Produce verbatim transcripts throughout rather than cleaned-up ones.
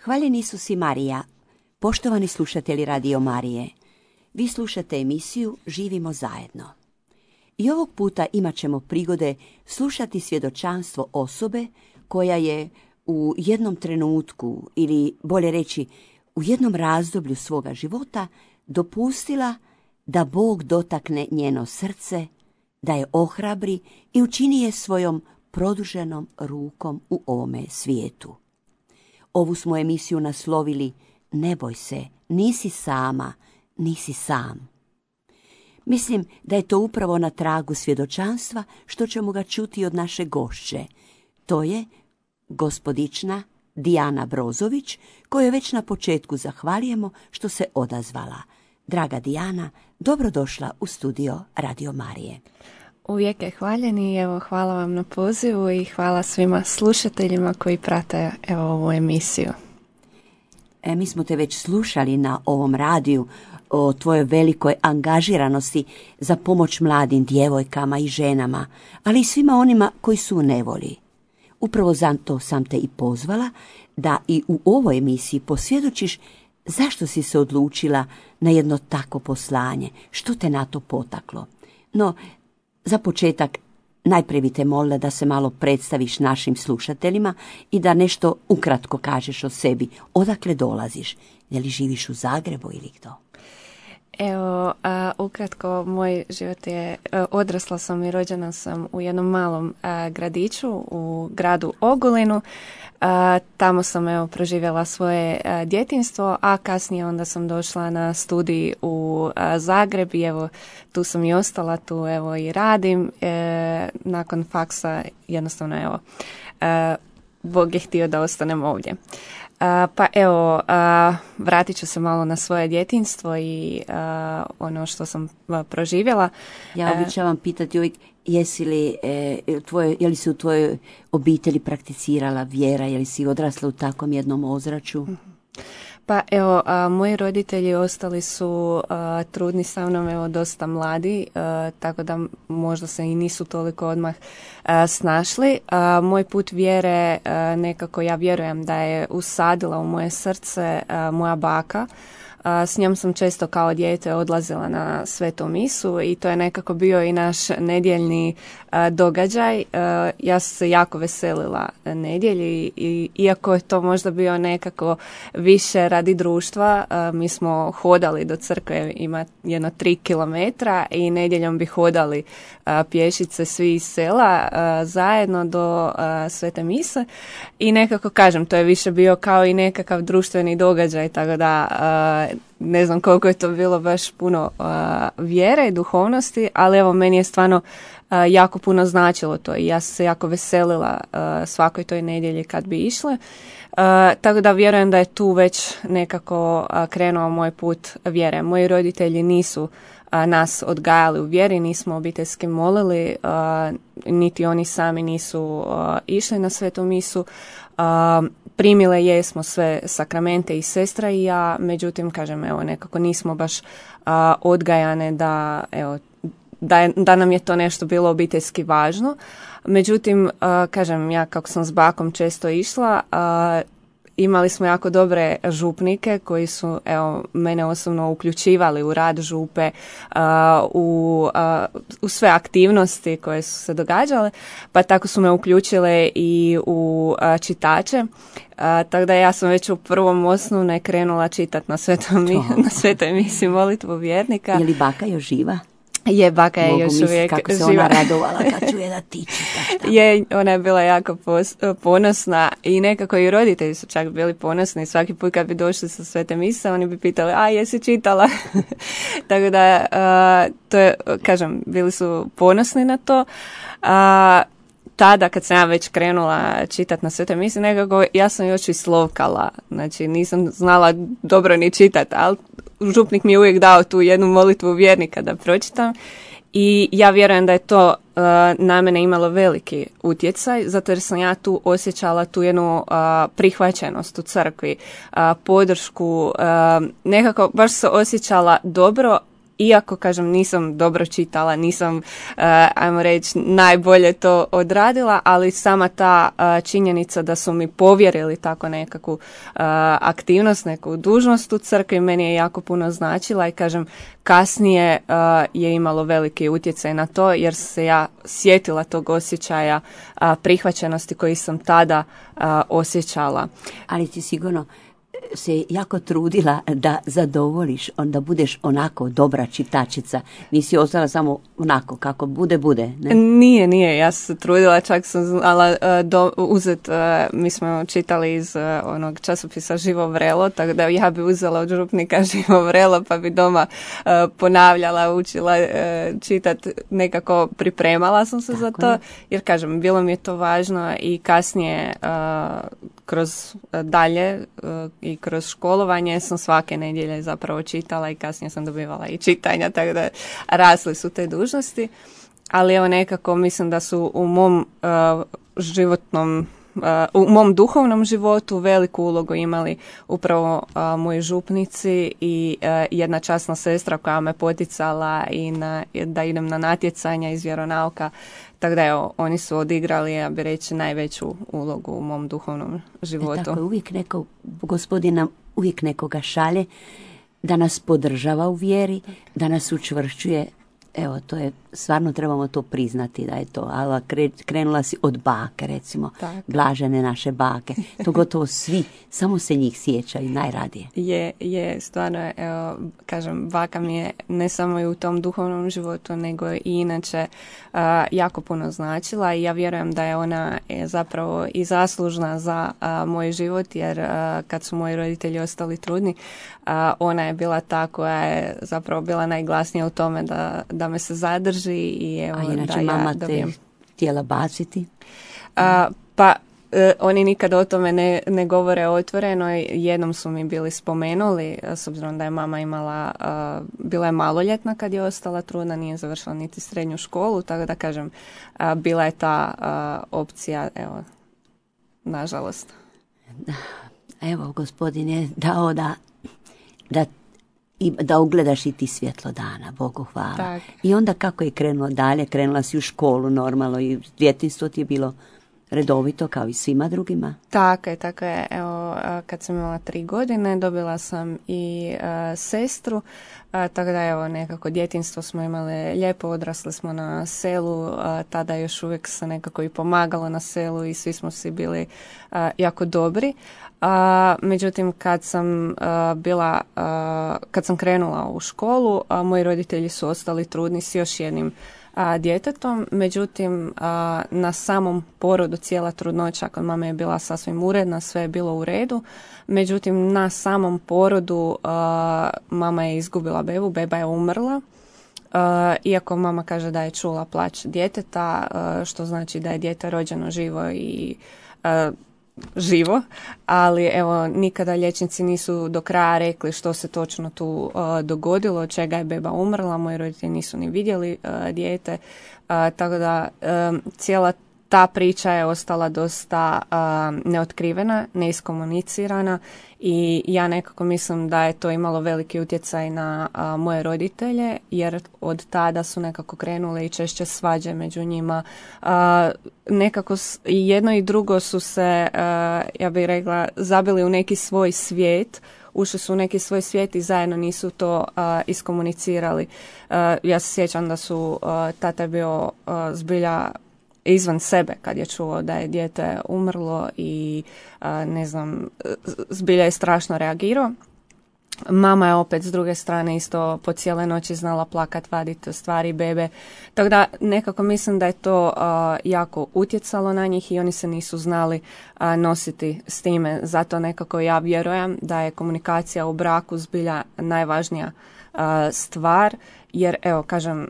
Hvaljen Isus i Marija, poštovani slušatelji Radio Marije, vi slušate emisiju Živimo zajedno. I ovog puta imat ćemo prigode slušati svjedočanstvo osobe koja je u jednom trenutku, ili bolje reći u jednom razdoblju svoga života, dopustila da Bog dotakne njeno srce, da je ohrabri i učini je svojom produženom rukom u ovome svijetu. Ovu smo emisiju naslovili Ne boj se, nisi sama, nisi sam. Mislim da je to upravo na tragu svjedočanstva što ćemo ga čuti od naše gošće. To je gospodična Dijana Brozović, kojoj već na početku zahvaljujemo što se odazvala. Draga Dijana, dobrodošla u studio Radio Marije. Uvijek je hvaljeni, evo hvala vam na pozivu i hvala svima slušateljima koji prate evo ovu emisiju. E, mi smo te već slušali na ovom radiju o tvojoj velikoj angažiranosti za pomoć mladim djevojkama i ženama, ali i svima onima koji su u nevolji. Upravo zato sam te i pozvala da i u ovoj emisiji posvjedočiš zašto si se odlučila na jedno tako poslanje, što te na to potaklo. No, za početak, najprije bi te molila da se malo predstaviš našim slušateljima i da nešto ukratko kažeš o sebi. Odakle dolaziš? Je li živiš u Zagrebu ili to? Evo, a, ukratko, moj život je, a, odrasla sam i rođena sam u jednom malom a, gradiću u gradu Ogulinu. A, tamo sam evo proživjela svoje a, djetinjstvo, a kasnije onda sam došla na studij u a, Zagreb i evo tu sam i ostala, tu evo i radim. E, nakon faksa jednostavno evo a, Bog je htio da ostanem ovdje. Uh, pa evo, uh, vratit ću se malo na svoje djetinjstvo i uh, ono što sam uh, proživjela. Ja običavam pitati uvijek, jesi li, e, tvoje, je li se u tvojoj obitelji prakticirala vjera, je li si odrasla u takvom jednom ozračju? Pa evo, a, moji roditelji ostali su a, trudni sa mnom, evo, dosta mladi, a, tako da možda se i nisu toliko odmah a, snašli. A, moj put vjere, a, nekako ja vjerujem da je usadila u moje srce a, moja baka. A, s njom sam često kao dijete odlazila na svetu misu i to je nekako bio i naš nedjeljni a, događaj. A, ja sam se jako veselila nedjelji i iako je to možda bio nekako više radi društva, a, mi smo hodali do crkve, ima jedno tri kilometra i nedjeljom bi hodali a, pješice svi iz sela a, zajedno do a, svete mise i nekako kažem, to je više bio kao i nekakav društveni događaj, tako da a, ne znam koliko je to bilo baš puno uh, vjere i duhovnosti, ali evo meni je stvarno uh, jako puno značilo to i ja sam se jako veselila uh, svakoj toj nedjelji kad bi išle. Uh, tako da vjerujem da je tu već nekako uh, krenuo moj put vjere. Moji roditelji nisu uh, nas odgajali u vjeri, nismo obiteljski molili, uh, niti oni sami nisu uh, išli na svetu misu. Uh, primile jesmo sve sakramente i sestra i ja, međutim, kažem, evo, nekako nismo baš uh, odgajane da, evo, da, je, da nam je to nešto bilo obiteljski važno. Međutim, uh, kažem, ja kako sam s bakom često išla, uh, imali smo jako dobre župnike koji su, evo, mene osobno uključivali u rad župe, uh, u, uh, u sve aktivnosti koje su se događale, pa tako su me uključile i u uh, čitače. Uh, tako da ja sam već u prvom osnovne krenula čitati na svetom na svetoj misi molitvu vjernika. Je li baka još živa? Je, baka je Mogu još uvijek kako se živa. Ona radovala kad čuje da ti čitaš. Je, ona je bila jako pos, ponosna i nekako i roditelji su čak bili ponosni. Svaki put kad bi došli sa svete mise, oni bi pitali, a jesi čitala? Tako da, uh, to je, kažem, bili su ponosni na to. Uh, tada kad sam ja već krenula čitati na svete mise, nekako ja sam još i slovkala. Znači nisam znala dobro ni čitati, ali župnik mi je uvijek dao tu jednu molitvu vjernika da pročitam i ja vjerujem da je to uh, na mene imalo veliki utjecaj, zato jer sam ja tu osjećala tu jednu uh, prihvaćenost u crkvi, uh, podršku, uh, nekako baš se osjećala dobro iako, kažem, nisam dobro čitala, nisam, uh, ajmo reći, najbolje to odradila, ali sama ta uh, činjenica da su mi povjerili tako nekakvu uh, aktivnost, neku dužnost u crkvi, meni je jako puno značila i, kažem, kasnije uh, je imalo veliki utjecaj na to, jer se ja sjetila tog osjećaja uh, prihvaćenosti koji sam tada uh, osjećala. Ali ti sigurno se jako trudila da zadovoljiš, onda budeš onako dobra čitačica. Nisi ostala samo onako kako bude, bude. Ne? Nije, nije. Ja sam se trudila, čak sam znala uh, do, uzet, uh, mi smo čitali iz uh, onog časopisa Živo vrelo, tako da ja bi uzela od župnika Živo vrelo, pa bi doma uh, ponavljala, učila uh, čitat, nekako pripremala sam se tako za to, jer, kažem, bilo mi je to važno i kasnije uh, kroz uh, dalje uh, i kroz školovanje sam svake nedjelje zapravo čitala i kasnije sam dobivala i čitanja, tako da rasli su te dužnosti. Ali evo, nekako mislim da su u mom uh, životnom, uh, u mom duhovnom životu veliku ulogu imali upravo uh, moji župnici i uh, jedna časna sestra koja me poticala i na, da idem na natjecanja iz vjeronauka. Tako da, evo, oni su odigrali, ja bih reći, najveću ulogu u mom duhovnom životu. E, tako je, uvijek neko, gospodina uvijek nekoga šalje da nas podržava u vjeri, da nas učvršćuje. Evo, to je, stvarno trebamo to priznati da je to. Ali krenula si od bake, recimo, tako, blažene naše bake. To gotovo svi, samo se njih sjećaju najradije. Je, je, stvarno, evo, kažem, baka mi je ne samo i u tom duhovnom životu, nego i inače uh, jako puno značila i ja vjerujem da je ona je zapravo i zaslužna za uh, moj život, jer uh, kad su moji roditelji ostali trudni, uh, ona je bila ta koja je zapravo bila najglasnija u tome da da me se zadrži i evo, a inače da mama ja dobijem. Te htjela baciti? A, pa e, oni nikad o tome ne, ne govore otvoreno. Jednom su mi bili spomenuli, s obzirom da je mama imala, a, bila je maloljetna kad je ostala trudna, nije završila niti srednju školu, tako da, kažem, a, bila je ta a, opcija, evo, nažalost. Evo, Gospodin je dao da da i da ugledaš i ti svjetlo dana, Bogu hvala. Tak. I onda kako je krenulo dalje, krenula si u školu normalno i djetinjstvo ti je bilo redovito kao i svima drugima? Tako je, tako je. Evo, kad sam imala tri godine dobila sam i uh, sestru, uh, tako da, evo, nekako djetinjstvo smo imali lijepo, odrasli smo na selu, uh, tada još uvijek se nekako i pomagalo na selu i svi smo si bili uh, jako dobri. Uh, međutim, kad sam uh, bila, uh, kad sam krenula u školu, uh, moji roditelji su ostali trudni s još jednim a, djetetom, međutim a, na samom porodu cijela trudnoća kod mame je bila sasvim uredna, sve je bilo u redu, međutim na samom porodu a, mama je izgubila bebu, beba je umrla, a, iako mama kaže da je čula plać djeteta, a, što znači da je dijete rođeno živo i a, živo, ali evo nikada liječnici nisu do kraja rekli što se točno tu uh, dogodilo, od čega je beba umrla, moji roditelji nisu ni vidjeli uh, dijete, uh, tako da um, cijela ta priča je ostala dosta uh, neotkrivena, neiskomunicirana i ja nekako mislim da je to imalo veliki utjecaj na uh, moje roditelje, jer od tada su nekako krenule i češće svađe među njima. Uh, nekako i jedno i drugo su se, uh, ja bih rekla, zabili u neki svoj svijet, ušli su u neki svoj svijet i zajedno nisu to uh, iskomunicirali. Uh, ja se sjećam da su, uh, tata je bio uh, zbilja izvan sebe kad je čuo da je dijete umrlo i a, ne znam, zbilja je strašno reagirao. Mama je opet s druge strane isto po cijele noći znala plakat, vaditi stvari bebe. Tako da nekako mislim da je to a, jako utjecalo na njih i oni se nisu znali a, nositi s time. Zato nekako ja vjerujem da je komunikacija u braku zbilja najvažnija a, stvar. Jer, evo, kažem,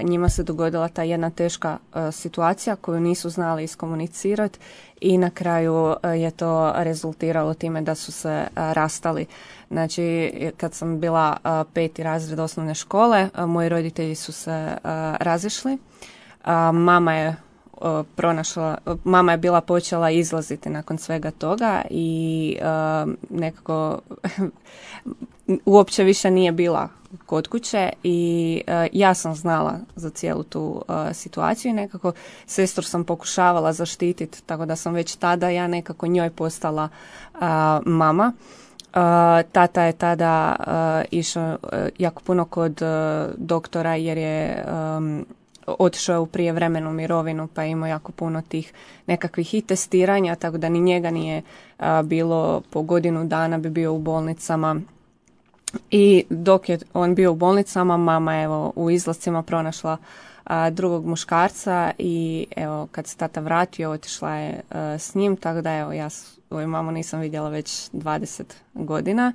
njima se dogodila ta jedna teška situacija koju nisu znali iskomunicirati i na kraju je to rezultiralo time da su se rastali. Znači, kad sam bila peti razred osnovne škole, moji roditelji su se razišli. Mama je pronašla, mama je bila počela izlaziti nakon svega toga i nekako uopće više nije bila kod kuće i uh, ja sam znala za cijelu tu uh, situaciju i nekako sestru sam pokušavala zaštititi, tako da sam već tada ja nekako njoj postala uh, mama. Uh, tata je tada uh, išao uh, jako puno kod uh, doktora jer je um, otišao u prijevremenu mirovinu pa je imao jako puno tih nekakvih i testiranja, tako da ni njega nije uh, bilo po godinu dana bi bio u bolnicama. I dok je on bio u bolnicama, mama evo u izlascima pronašla a, drugog muškarca i evo kad se tata vratio, otišla je a, s njim, tako da evo ja svoju mamu nisam vidjela već dvadeset godina.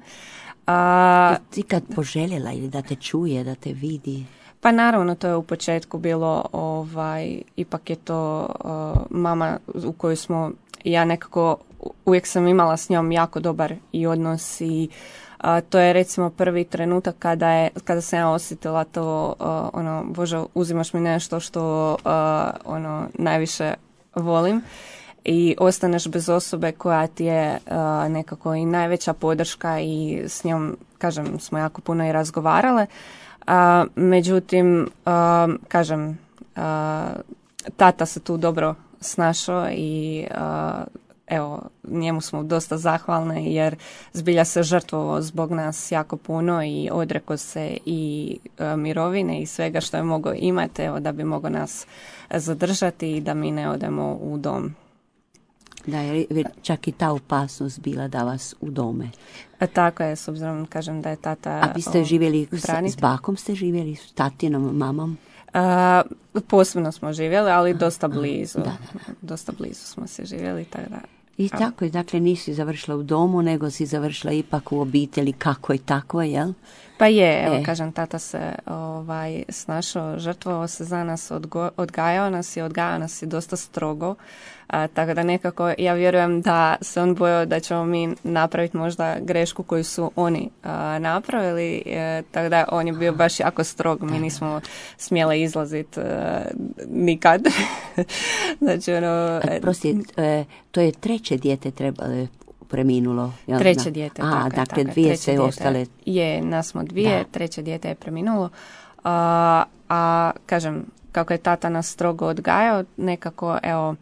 A, ti kad poželjela ili da te čuje, da te vidi? Pa naravno, to je u početku bilo, ovaj, ipak je to a, mama u kojoj smo, ja nekako uvijek sam imala s njom jako dobar i odnos i Uh, to je recimo prvi trenutak kada je kada sam ja osjetila to uh, ono Bože, uzimaš mi nešto što uh, ono najviše volim i ostaneš bez osobe koja ti je uh, nekako i najveća podrška i s njom, kažem, smo jako puno i razgovarale. Uh, međutim, uh, kažem, uh, tata se tu dobro snašao i uh, evo, njemu smo dosta zahvalne jer zbilja se žrtvovao zbog nas jako puno i odrekao se i e, mirovine i svega što je mogao imati, evo, da bi mogao nas zadržati i da mi ne odemo u dom. Da, je čak i ta opasnost bila da vas udome. A tako je, s obzirom, kažem, da je tata... A vi ste živjeli, s, s bakom ste živjeli, s tatinom, mamom? Uh, posebno smo živjeli, ali dosta blizu. Da, da, da. Dosta blizu smo se živjeli, tako da... I tako je, dakle nisi završila u domu, nego si završila ipak u obitelji kako i tako, jel? Pa je, evo, e. kažem, tata se ovaj, snašao, žrtvovao se za nas, odgo, odgajao nas i odgajao nas i dosta strogo. A, tako da nekako ja vjerujem da se on bojao da ćemo mi napraviti možda grešku koju su oni a, napravili. E, tako da on je bio baš jako strog. Mi nismo smjeli izlaziti nikad. Znači, ono... Prosti, e, to je treće dijete trebalo preminulo. Ja treće znam. dijete. A, tako, dakle tako, dvije se dijete, ostale. Je, nas smo dvije, da. Treće dijete je preminulo. A, a kažem, kako je tata nas strogo odgajao, nekako, evo,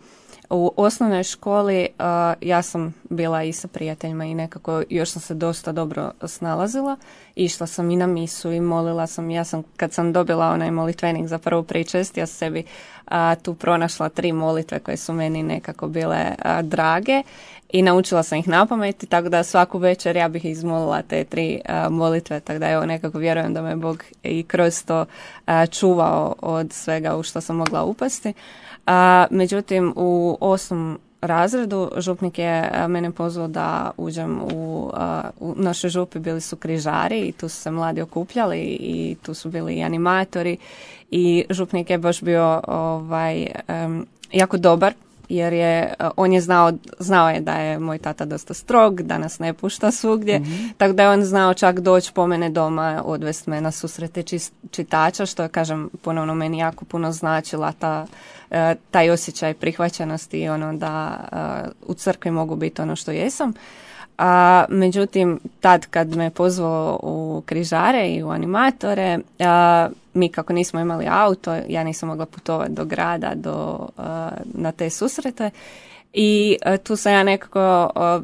u osnovnoj školi uh, ja sam bila i sa prijateljima i nekako još sam se dosta dobro snalazila. Išla sam i na misu i molila sam. Ja sam, kad sam dobila onaj molitvenik za prvu pričest, ja sam sebi uh, tu pronašla tri molitve koje su meni nekako bile uh, drage i naučila sam ih napamet, tako da svaku večer ja bih izmolila te tri uh, molitve, tako da evo nekako vjerujem da me Bog i kroz to uh, čuvao od svega u što sam mogla upasti. A, međutim, u osmom razredu župnik je a, mene pozvao da uđem u, a, u našoj župi, bili su križari i tu su se mladi okupljali i tu su bili i animatori i župnik je baš bio ovaj, um, jako dobar jer je, on je znao, znao je da je moj tata dosta strog, da nas ne pušta svugdje, mm-hmm. tako da je on znao čak doći po mene doma, odvesti me na susrete čitača, što je, kažem, ponovno meni jako puno značila ta, taj osjećaj prihvaćenosti i ono da u crkvi mogu biti ono što jesam. A, međutim, tad kad me pozvao u križare i u animatore, a, mi kako nismo imali auto, ja nisam mogla putovati do grada, do, a, na te susrete i a, tu sam ja nekako, a,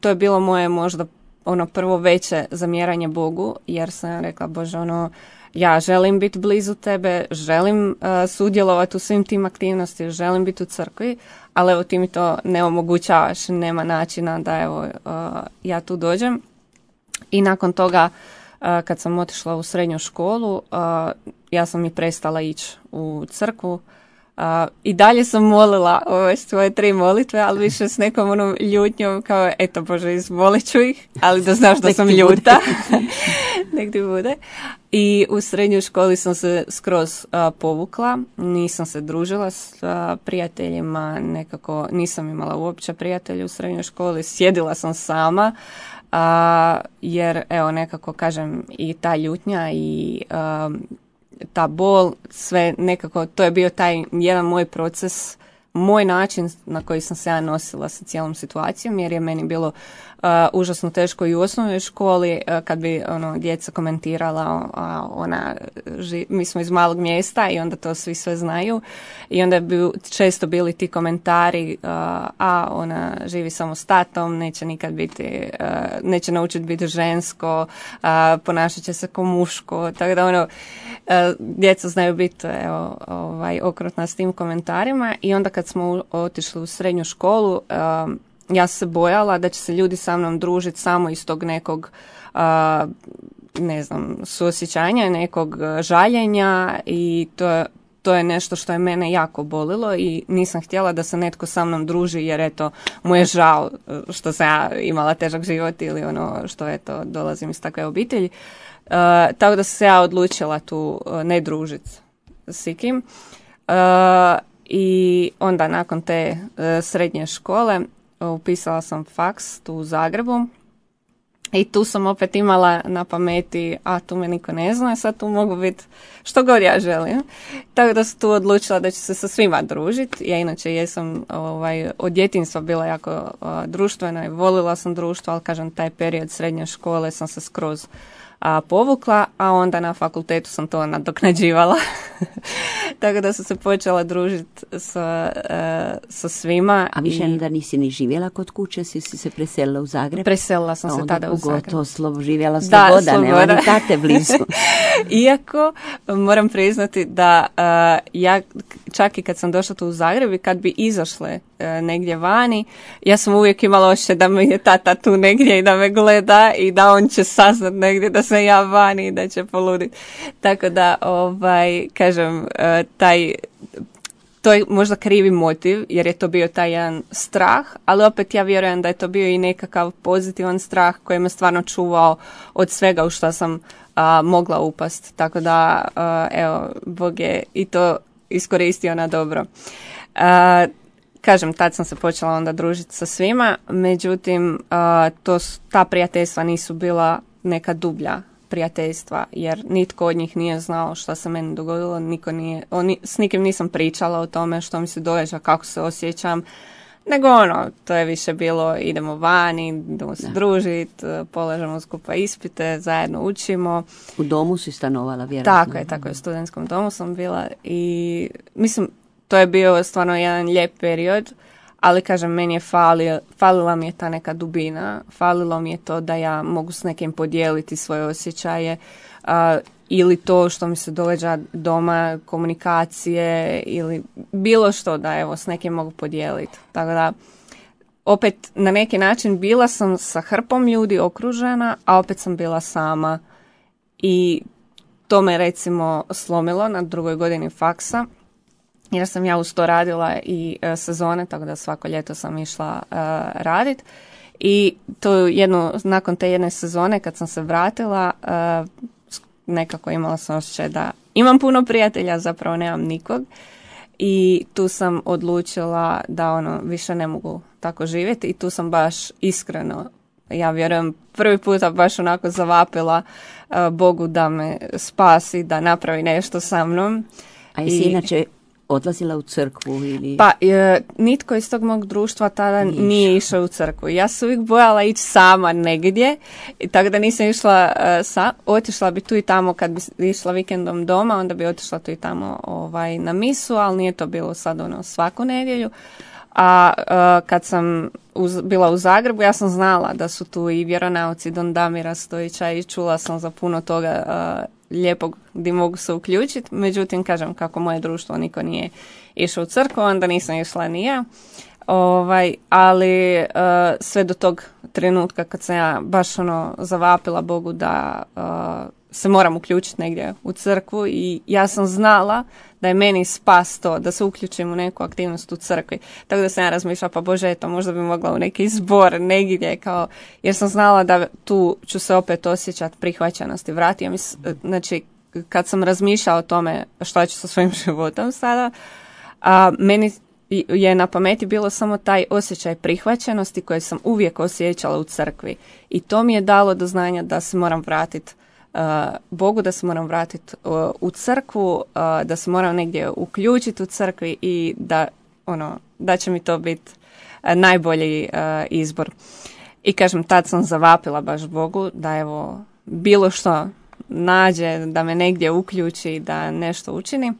to je bilo moje možda ono prvo veće zamjeranje Bogu, jer sam ja rekla, Bože, ono, ja želim biti blizu tebe, želim uh, sudjelovati u svim tim aktivnostima, želim biti u crkvi, ali evo ti mi to ne omogućavaš, nema načina da evo uh, ja tu dođem. I nakon toga uh, kad sam otišla u srednju školu, uh, ja sam i prestala ići u crkvu. Uh, I dalje sam molila ove svoje tri molitve, ali više s nekom onom ljutnjom kao, eto Bože, izmolit ću ih, ali da znaš da sam ljuta. Nek ti bude. I u srednjoj školi sam se skroz uh, povukla, nisam se družila s uh, prijateljima, nekako nisam imala uopće prijatelja u srednjoj školi, sjedila sam sama, uh, jer evo nekako kažem i ta ljutnja i uh, ta bol, sve nekako, to je bio taj jedan moj proces, moj način na koji sam se ja nosila sa cijelom situacijom, jer je meni bilo uh, užasno teško i u osnovnoj školi, uh, kad bi ono, djeca komentirala, a ona, ži, mi smo iz malog mjesta i onda to svi sve znaju i onda bi često bili ti komentari, uh, a ona živi samo s tatom, neće nikad biti, uh, neće naučiti biti žensko, uh, ponašat će se ko muško, tako da ono, uh, djeca znaju biti evo, ovaj, okrutna s tim komentarima i onda kad smo otišli u srednju školu, uh, ja sam se bojala da će se ljudi sa mnom družiti samo iz tog nekog, uh, ne znam, suosjećanja, nekog žaljenja i to je, to je nešto što je mene jako bolilo i nisam htjela da se netko sa mnom druži jer eto, mu je žao što sam ja imala težak život ili ono što eto, dolazim iz takve obitelji. Uh, tako da sam se ja odlučila tu uh, ne družiti s ikim. Uh, I onda nakon te uh, srednje škole upisala sam faks tu u Zagrebu i tu sam opet imala na pameti, a tu me niko ne zna, sad tu mogu biti što god ja želim. Tako da sam tu odlučila da ću se sa svima družiti. Ja inače jesam ovaj, od djetinjstva bila jako uh, društvena i volila sam društvo, ali kažem taj period srednje škole sam se skroz a, povukla, a onda na fakultetu sam to nadoknađivala. Tako da sam se počela družiti sa, uh, sa svima. A više i... da nisi ni živjela kod kuće, si, si se preselila u Zagreb? Preselila sam se tada u Zagreb. Onda pogotovo slobo, živjela sloboda, da, nema ni tate blizu. Iako moram priznati da uh, ja čak i kad sam došla tu u Zagreb i kad bi izašle uh, negdje vani, ja sam uvijek imala osjećaj da me je tata tu negdje i da me gleda i da on će saznat negdje da sam ja vani i da će poluditi. Tako da, ovaj, kažem, uh, taj, to je možda krivi motiv, jer je to bio taj jedan strah, ali opet ja vjerujem da je to bio i nekakav pozitivan strah koji me stvarno čuvao od svega u što sam a, mogla upast. Tako da, a, evo, Bog je i to iskoristio na dobro. A, kažem, tad sam se počela onda družiti sa svima, međutim, a, to, ta prijateljstva nisu bila neka dublja prijateljstva, jer nitko od njih nije znao što se meni dogodilo, niko nije, oni, s nikim nisam pričala o tome što mi se događa, kako se osjećam, nego ono, to je više bilo idemo vani, idemo se družiti, polažemo skupa ispite, zajedno učimo. U domu si stanovala, vjerojatno. Tako je, tako je, u studentskom domu sam bila i mislim, to je bio stvarno jedan lijep period, ali kažem, meni je falio, falila mi je ta neka dubina, falilo mi je to da ja mogu s nekim podijeliti svoje osjećaje uh, ili to što mi se događa doma, komunikacije ili bilo što da evo s nekim mogu podijeliti. Tako da, opet na neki način bila sam sa hrpom ljudi okružena, a opet sam bila sama i to me recimo slomilo na drugoj godini faksa. Jer sam ja uz to radila i e, sezone, tako da svako ljeto sam išla e, radit. I to jednu, nakon te jedne sezone kad sam se vratila, e, nekako imala sam osjećaj da imam puno prijatelja, zapravo nemam nikog. I tu sam odlučila da ono više ne mogu tako živjeti i tu sam baš iskreno, ja vjerujem, prvi puta baš onako zavapila e, Bogu da me spasi, da napravi nešto sa mnom. A jesi I, inače odlazila u crkvu ili... Pa, e, nitko iz tog mog društva tada nije, nije išao u crkvu. Ja sam uvijek bojala ići sama negdje, i tako da nisam išla e, sa, otišla bi tu i tamo kad bi išla vikendom doma, onda bi otišla tu i tamo ovaj, na misu, ali nije to bilo sad ono svaku nedjelju. A e, kad sam uz, bila u Zagrebu, ja sam znala da su tu i vjeronauci Don Damira Stojića i čula sam za puno toga e, lijepog gdje mogu se uključiti. Međutim, kažem, kako moje društvo niko nije išao u crkvu, onda nisam išla ni ja. Ovaj, ali uh, sve do tog trenutka kad sam ja baš ono zavapila Bogu da uh, se moram uključiti negdje u crkvu i ja sam znala da je meni spas to, da se uključim u neku aktivnost u crkvi. Tako da sam ja razmišljala, pa Bože, eto, možda bi mogla u neki zbor negdje, kao, jer sam znala da tu ću se opet osjećati prihvaćenosti. Vratio mi, znači, kad sam razmišljala o tome šta ću sa svojim životom sada, a, meni je na pameti bilo samo taj osjećaj prihvaćenosti koji sam uvijek osjećala u crkvi. I to mi je dalo do znanja da se moram vratiti Uh, Bogu, da se moram vratiti uh, u crkvu, uh, da se moram negdje uključiti u crkvi i da, ono, da će mi to biti uh, najbolji uh, izbor. I kažem, tad sam zavapila baš Bogu da evo bilo što nađe, da me negdje uključi, da nešto učini.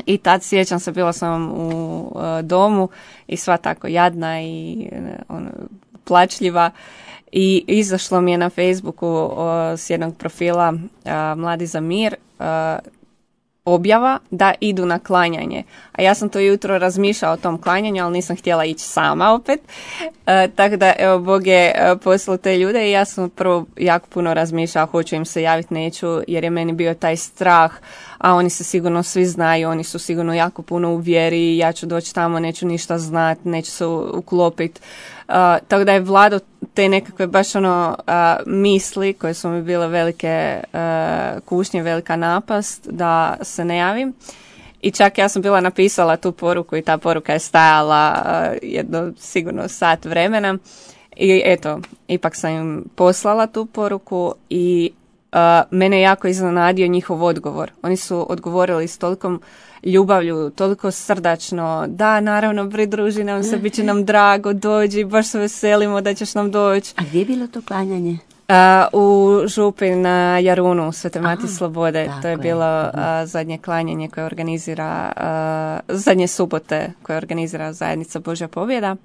I tad sjećam se, bila sam u uh, domu i sva tako jadna i uh, ono, plačljiva. I izašlo mi je na Facebooku uh, s jednog profila uh, Mladi za mir uh, objava da idu na klanjanje. A ja sam to jutro razmišljala o tom klanjanju, ali nisam htjela ići sama opet. E, tako da, evo, Bog je e, poslao te ljude i ja sam prvo jako puno razmišljala, hoću im se javiti, neću, jer je meni bio taj strah, a oni se sigurno svi znaju, oni su sigurno jako puno u vjeri, ja ću doći tamo, neću ništa znati, neću se uklopiti. Uh, tako da je Vlado te nekakve baš ono uh, misli koje su mi bile velike uh, kušnje, velika napast da se ne javim. I čak ja sam bila napisala tu poruku i ta poruka je stajala uh, jedno sigurno sat vremena. I eto, ipak sam im poslala tu poruku i uh, mene je jako iznenadio njihov odgovor. Oni su odgovorili s tolikom ljubavlju, toliko srdačno, da, naravno, pridruži nam se, bit će nam drago, dođi, baš se veselimo da ćeš nam doći. A gdje je bilo to klanjanje? Uh, u Župi na Jarunu, Svete Mati Slobode. To je bilo uh, zadnje klanjanje koje organizira, uh, zadnje subote koje organizira Zajednica Božja pobjeda.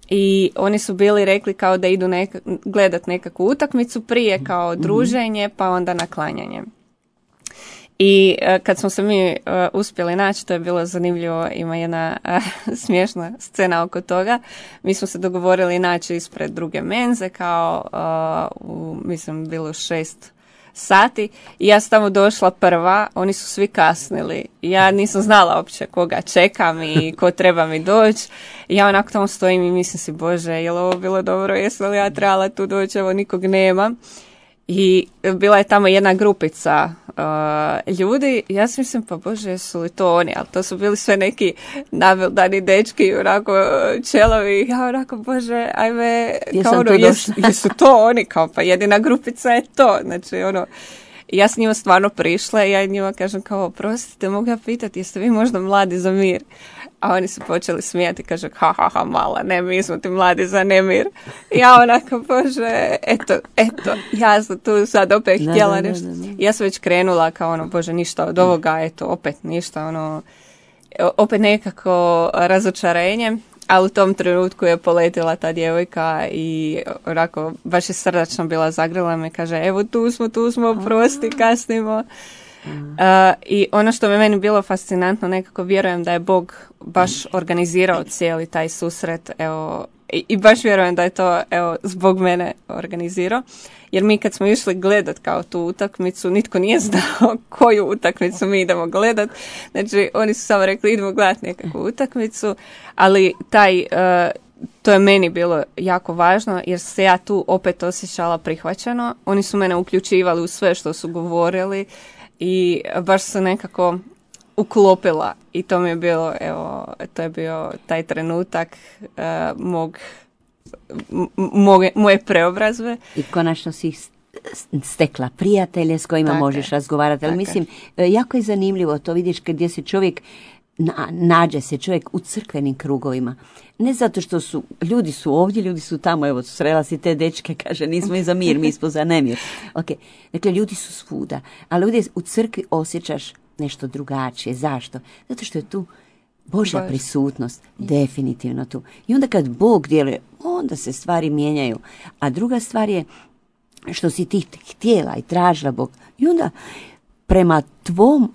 I oni su bili rekli kao da idu neka, gledat nekakvu utakmicu prije kao druženje, pa onda na klanjanje. I uh, kad smo se mi uh, uspjeli naći, to je bilo zanimljivo, ima jedna uh, smiješna scena oko toga. Mi smo se dogovorili naći ispred druge menze, kao, uh, u, mislim, bilo šest sati. I ja sam tamo došla prva, oni su svi kasnili. Ja nisam znala uopće koga čekam i ko treba mi doći. I ja onako tamo stojim i mislim si, Bože, je li ovo bilo dobro, jesam li ja trebala tu doći, evo nikog nema. I bila je tamo jedna grupica uh, ljudi, ja si mislim, pa Bože, jesu li to oni, ali to su bili sve neki nabildani dečki, onako čelovi, ja onako, Bože, ajme, kao ono, jesu, jesu to oni, kao pa jedina grupica je to, znači ono, ja s njima stvarno prišla i ja njima kažem kao, prostite, mogu ja pitati, jeste vi možda Mladi za mir? A oni su počeli smijati, kaže, ha, ha, ha, mala, ne, mi smo ti Mladi za nemir. Ja onako, Bože, eto, eto, ja sam tu sad opet ne, htjela ne, nešto. Ne, ne. Ja sam već krenula kao ono, Bože, ništa od ovoga, eto, opet ništa, ono, opet nekako razočarenje, ali u tom trenutku je poletila ta djevojka i onako, baš je srdačno bila, zagrila me, kaže, evo tu smo, tu smo, prosti, kasnimo. Uh, I ono što je meni bilo fascinantno, nekako vjerujem da je Bog baš organizirao cijeli taj susret, evo, i, i baš vjerujem da je to, evo, zbog mene organizirao, jer mi kad smo išli gledat kao tu utakmicu, nitko nije znao koju utakmicu mi idemo gledat, znači oni su samo rekli idemo gledat nekakvu utakmicu, ali taj, uh, to je meni bilo jako važno, jer se ja tu opet osjećala prihvaćeno, oni su mene uključivali u sve što su govorili, i baš se nekako uklopila i to mi je bilo, evo, to je bio taj trenutak uh, mog, moje, moje preobrazbe. I konačno si stekla prijatelje s kojima tako možeš je. razgovarati, ali tako mislim, jako je zanimljivo to, vidiš gdje se čovjek Na, nađe se čovjek u crkvenim krugovima. Ne zato što su, ljudi su ovdje, ljudi su tamo, evo, srela si te dečke, kaže, nismo i za mir, mi smo za nemir. Okay. Dakle, ljudi su svuda, ali ovdje u crkvi osjećaš nešto drugačije. Zašto? Zato što je tu Božja Bož. prisutnost, definitivno tu. I onda kad Bog djeluje, onda se stvari mijenjaju. A druga stvar je što si ti htjela i tražila Bog. I onda prema tvom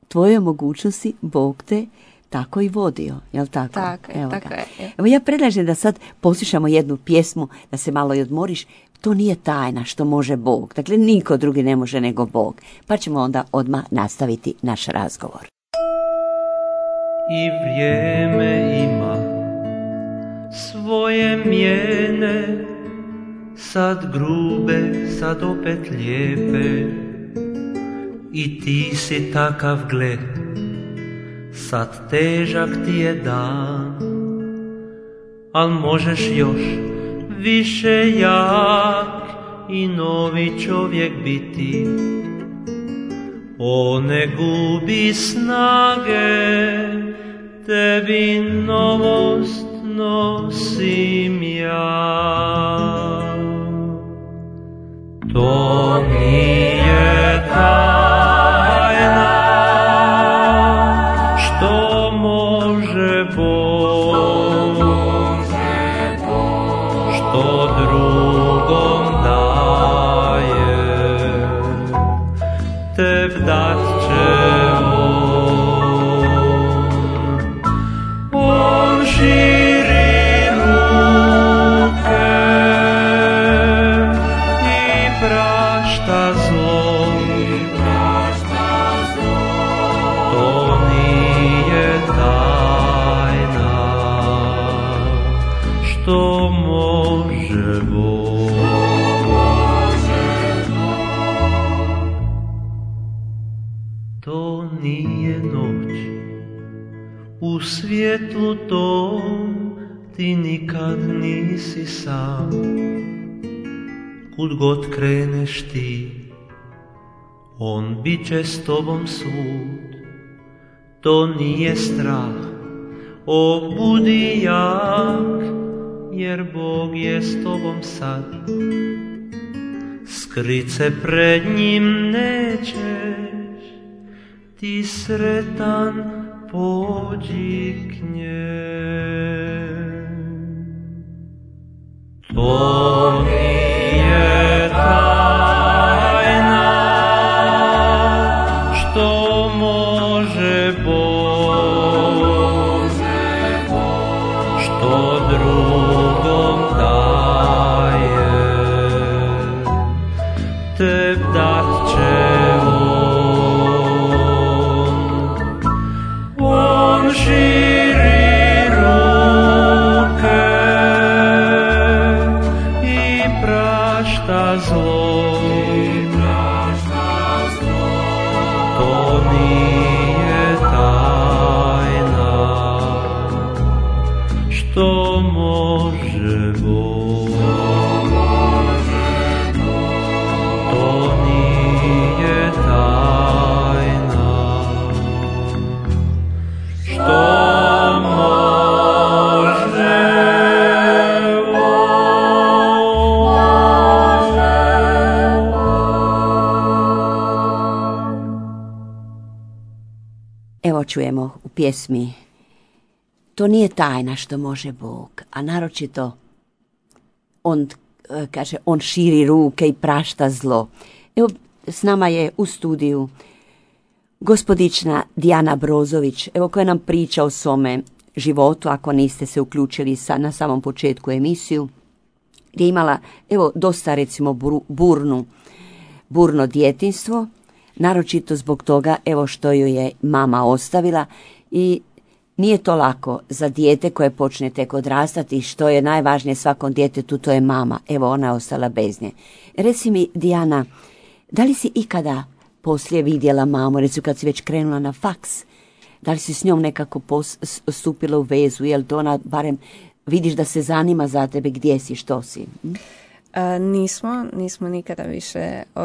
tvojoj mogućnosti Bog te tako i vodio, jel tako? Tako je, Evo tako je. Evo ja predlažem da sad poslušamo jednu pjesmu, da se malo i odmoriš. To nije tajna što može Bog. Dakle, niko drugi ne može nego Bog. Pa ćemo onda odmah nastaviti naš razgovor. I vrijeme ima svoje mijene, sad grube, sad opet lijepe. I ti si takav, gle, sad težak ti je dan, al možeš još više jak i novi čovjek biti. O, ne gubi snage, tebi novost nosim ja. To nije tajna, što može Bog, što drugom daje, teb dat će on. On širi ruke i prašta zlo, to nije tajna, što može Bog. To nije noć, u svjetlu tom ti nikad nisi sam. Kud god kreneš ti, on bit će s tobom svud. To nije strah, o budi jak, jer Bog je s tobom sad. Skrit se pred njim nećeš, ti sretan pođi k njem. To nije tajna, što može Bog, što drugom daje, teb dat će on širi ruke i prašta zlo, to nije tajna, što može Bog. To nije tajna, što Evo čujemo u pjesmi to nije tajna što može Bog, a naročito on kaže on širi ruke i prašta zlo. Evo s nama je u studiju gospodična Dijana Brozović, evo koja nam priča o svome životu, ako niste se uključili sa, na samom početku emisiju, gdje je imala evo dosta recimo burnu, burno djetinjstvo, naročito zbog toga evo što ju je mama ostavila i nije to lako za dijete koje počne tek odrastati, što je najvažnije svakom djetetu, to je mama. Evo ona je ostala bez nje. Reci mi Dijana, da li si ikada poslije vidjela mamu, recimo kad si već krenula na faks, da li si s njom nekako pos- stupila u vezu, jel to ona barem vidiš da se zanima za tebe, gdje si, što si? Hm? A, nismo, nismo nikada više uh,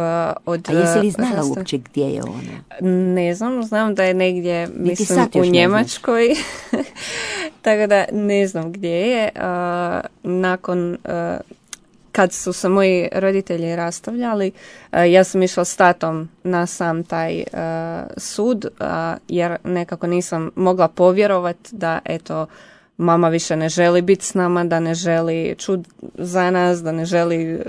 od... A jesi li znala zastav... uopće gdje je ona? Ne znam, znam da je negdje, mislim, u Njemačkoj, tako da ne znam gdje je. Uh, nakon, uh, kad su se moji roditelji rastavljali, uh, ja sam išla s tatom na sam taj uh, sud, uh, jer nekako nisam mogla povjerovati da, eto, mama više ne želi biti s nama, da ne želi čut za nas, da ne želi,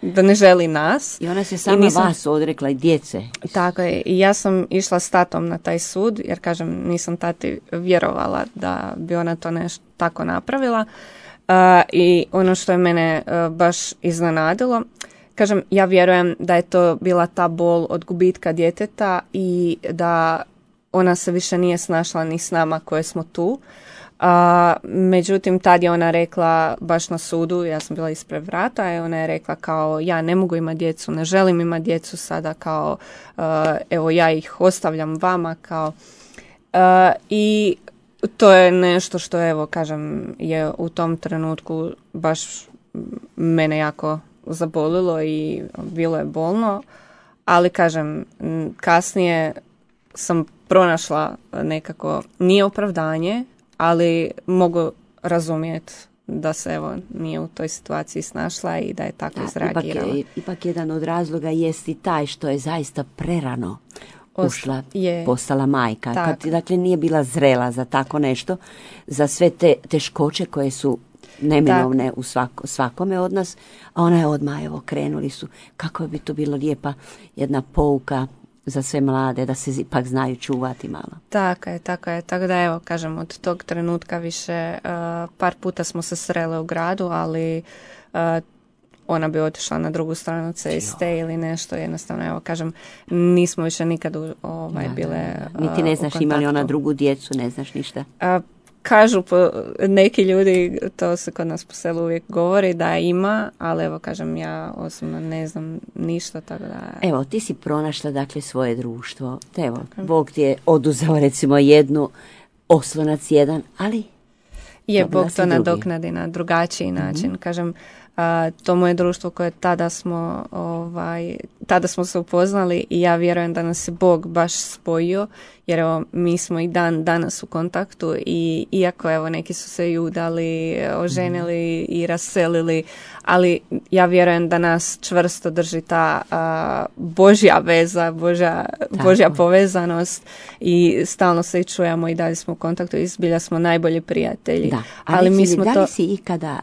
da ne želi nas. I ona se sama nisam, vas odrekla i djece. Tako je. I ja sam išla s tatom na taj sud, jer kažem, nisam tati vjerovala da bi ona to nešto tako napravila. Uh, I ono što je mene uh, baš iznenadilo, kažem, ja vjerujem da je to bila ta bol od gubitka djeteta i da ona se više nije snašla ni s nama koje smo tu. A, međutim, tad je ona rekla baš na sudu, ja sam bila ispred vrata i ona je rekla kao ja ne mogu imati djecu, ne želim imati djecu sada, kao uh, evo ja ih ostavljam vama, kao uh, i to je nešto što evo kažem je u tom trenutku baš mene jako zabolilo i bilo je bolno, ali kažem kasnije sam pronašla nekako, nije opravdanje, ali mogu razumjeti da se evo nije u toj situaciji snašla i da je tako Da, izreagirala. Ipak, je- ipak jedan od razloga jest i taj što je zaista prerano Osta- ušla, je. postala majka. Tako. Kad, dakle, nije bila zrela za tako nešto, za sve te teškoće koje su neminovne u svako, svakome od nas, a ona je odmah, evo, krenuli su. Kako bi to bilo lijepa jedna pouka za sve mlade, da se ipak znaju čuvati malo. Tako je, tako je. Tako da evo, kažem, od tog trenutka više uh, par puta smo se srele u gradu, ali uh, ona bi otišla na drugu stranu ceste ili nešto, jednostavno, evo, kažem, nismo više nikad u, ovaj, Da, da, bile da. Niti ne uh, znaš u ima li ona kontaktu. drugu djecu, ne znaš ništa. A, kažu po, neki ljudi, to se kod nas po selu uvijek govori da ima, ali evo, kažem, ja osobno ne znam ništa, tako da... Evo, ti si pronašla, dakle, svoje društvo. Evo, Bog ti je oduzeo, recimo, jednu, oslonac jedan, ali Je, dobila Bog si to drugi. nadoknadi na drugačiji način. Kažem, a, to moje društvo koje tada smo, ovaj, tada smo se upoznali i ja vjerujem da nas je Bog baš spojio, jer evo, mi smo i dan danas u kontaktu i iako evo neki su se i udali, oženili i raselili, ali ja vjerujem da nas čvrsto drži ta a, Božja veza, Božja, Božja povezanost i stalno se i čujemo i dalje smo u kontaktu i zbilja smo najbolji prijatelji. da. A Ali reci mi mi, smo da li to... si ikada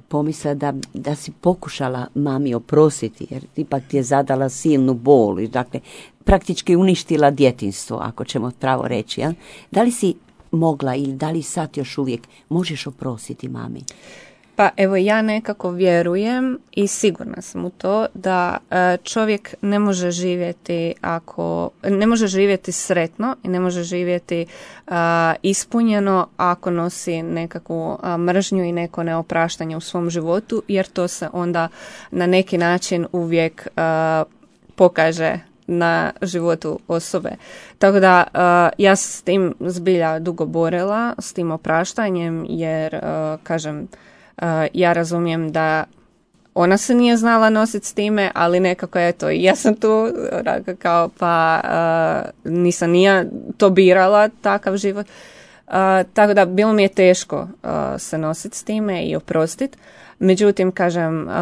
pomisla da, da si pokušala mami oprostiti, jer ipak ti je zadala silnu bol i dakle praktički uništila djetinjstvo, ako ćemo pravo reći. Jel? Da li si mogla ili da li sad još uvijek možeš oprostiti mami? Pa evo ja nekako vjerujem i sigurna sam u to da e, čovjek ne može živjeti ako ne može živjeti sretno i ne može živjeti a, ispunjeno ako nosi nekakvu a, mržnju i neko neopraštanje u svom životu, jer to se onda na neki način uvijek a, pokaže na životu osobe. Tako da uh, ja se s tim zbilja dugo borila, s tim opraštanjem, jer uh, kažem, uh, ja razumijem da ona se nije znala nositi s time, ali nekako eto, i ja sam tu kao pa uh, nisam ni ja to birala, takav život. Uh, tako da bilo mi je teško uh, se nositi s time i oprostiti. Međutim, kažem, uh,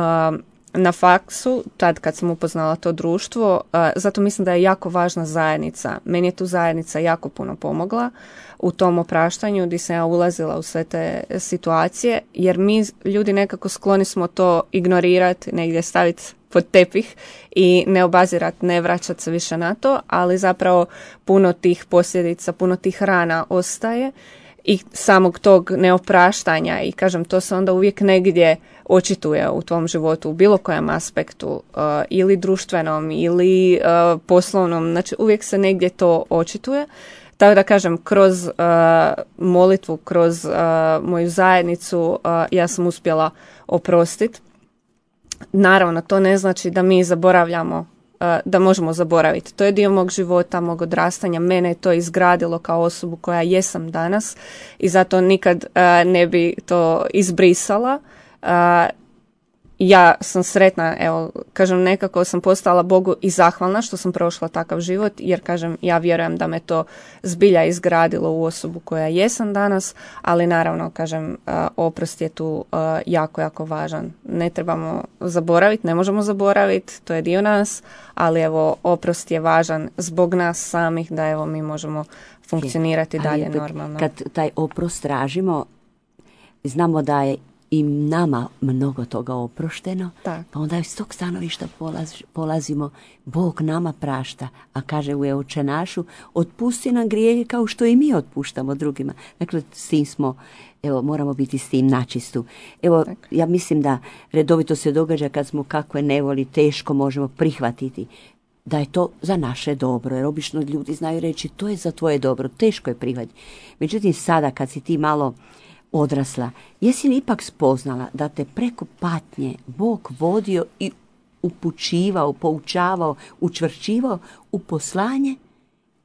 na faksu, tad kad sam upoznala to društvo, uh, zato mislim da je jako važna zajednica. Meni je tu zajednica jako puno pomogla u tom opraštanju gdje sam ja ulazila u sve te situacije, jer mi ljudi nekako skloni smo to ignorirati, negdje staviti pod tepih i ne obazirati, ne vraćati se više na to, ali zapravo puno tih posljedica, puno tih rana ostaje i samog tog neopraštanja i kažem, to se onda uvijek negdje očituje u tvom životu u bilo kojem aspektu uh, ili društvenom ili uh, poslovnom, znači uvijek se negdje to očituje. Tako da kažem, kroz uh, molitvu, kroz uh, moju zajednicu uh, ja sam uspjela oprostiti. Naravno, to ne znači da mi zaboravljamo, uh, da možemo zaboraviti. To je dio mog života, mog odrastanja. Mene je to izgradilo kao osobu koja jesam danas i zato nikad uh, ne bi to izbrisala. Uh, ja sam sretna, evo, kažem, nekako sam postala Bogu i zahvalna što sam prošla takav život, jer, kažem, ja vjerujem da me to zbilja izgradilo u osobu koja jesam danas, ali naravno, kažem, uh, oprost je tu uh, jako, jako važan. Ne trebamo zaboraviti, ne možemo zaboraviti, to je dio nas, ali evo, oprost je važan zbog nas samih, da evo, mi možemo funkcionirati Ali dalje opet, normalno. Kad taj oprost tražimo, znamo da je i nama mnogo toga oprošteno, Tak. pa onda iz tog stanovišta polaz, polazimo, Bog nama prašta, a kaže u Oče našu, otpusti nam grijehe kao što i mi otpuštamo drugima. Dakle, s tim smo, evo, moramo biti s tim načistu. Evo, Tak. ja mislim da redovito se događa kad smo kakve nevoli teško možemo prihvatiti da je to za naše dobro, jer obično ljudi znaju reći to je za tvoje dobro, teško je prihvatiti. Međutim, sada kad si ti malo odrasla, jesi li ipak spoznala da te preko patnje Bog vodio i upućivao, poučavao, učvršćivao u poslanje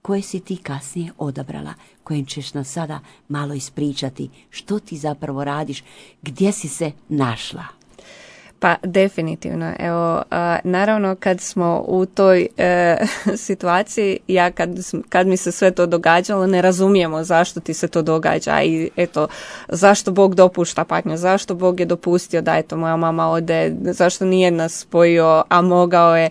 koje si ti kasnije odabrala, kojem ćeš nas sada malo ispričati što ti zapravo radiš, gdje si se našla? Pa definitivno. Evo, a, naravno kad smo u toj e, situaciji, ja kad, kad mi se sve to događalo, ne razumijemo zašto ti se to događa i eto, zašto Bog dopušta patnju, zašto Bog je dopustio da eto moja mama ode, zašto nije nas spojio, a mogao je.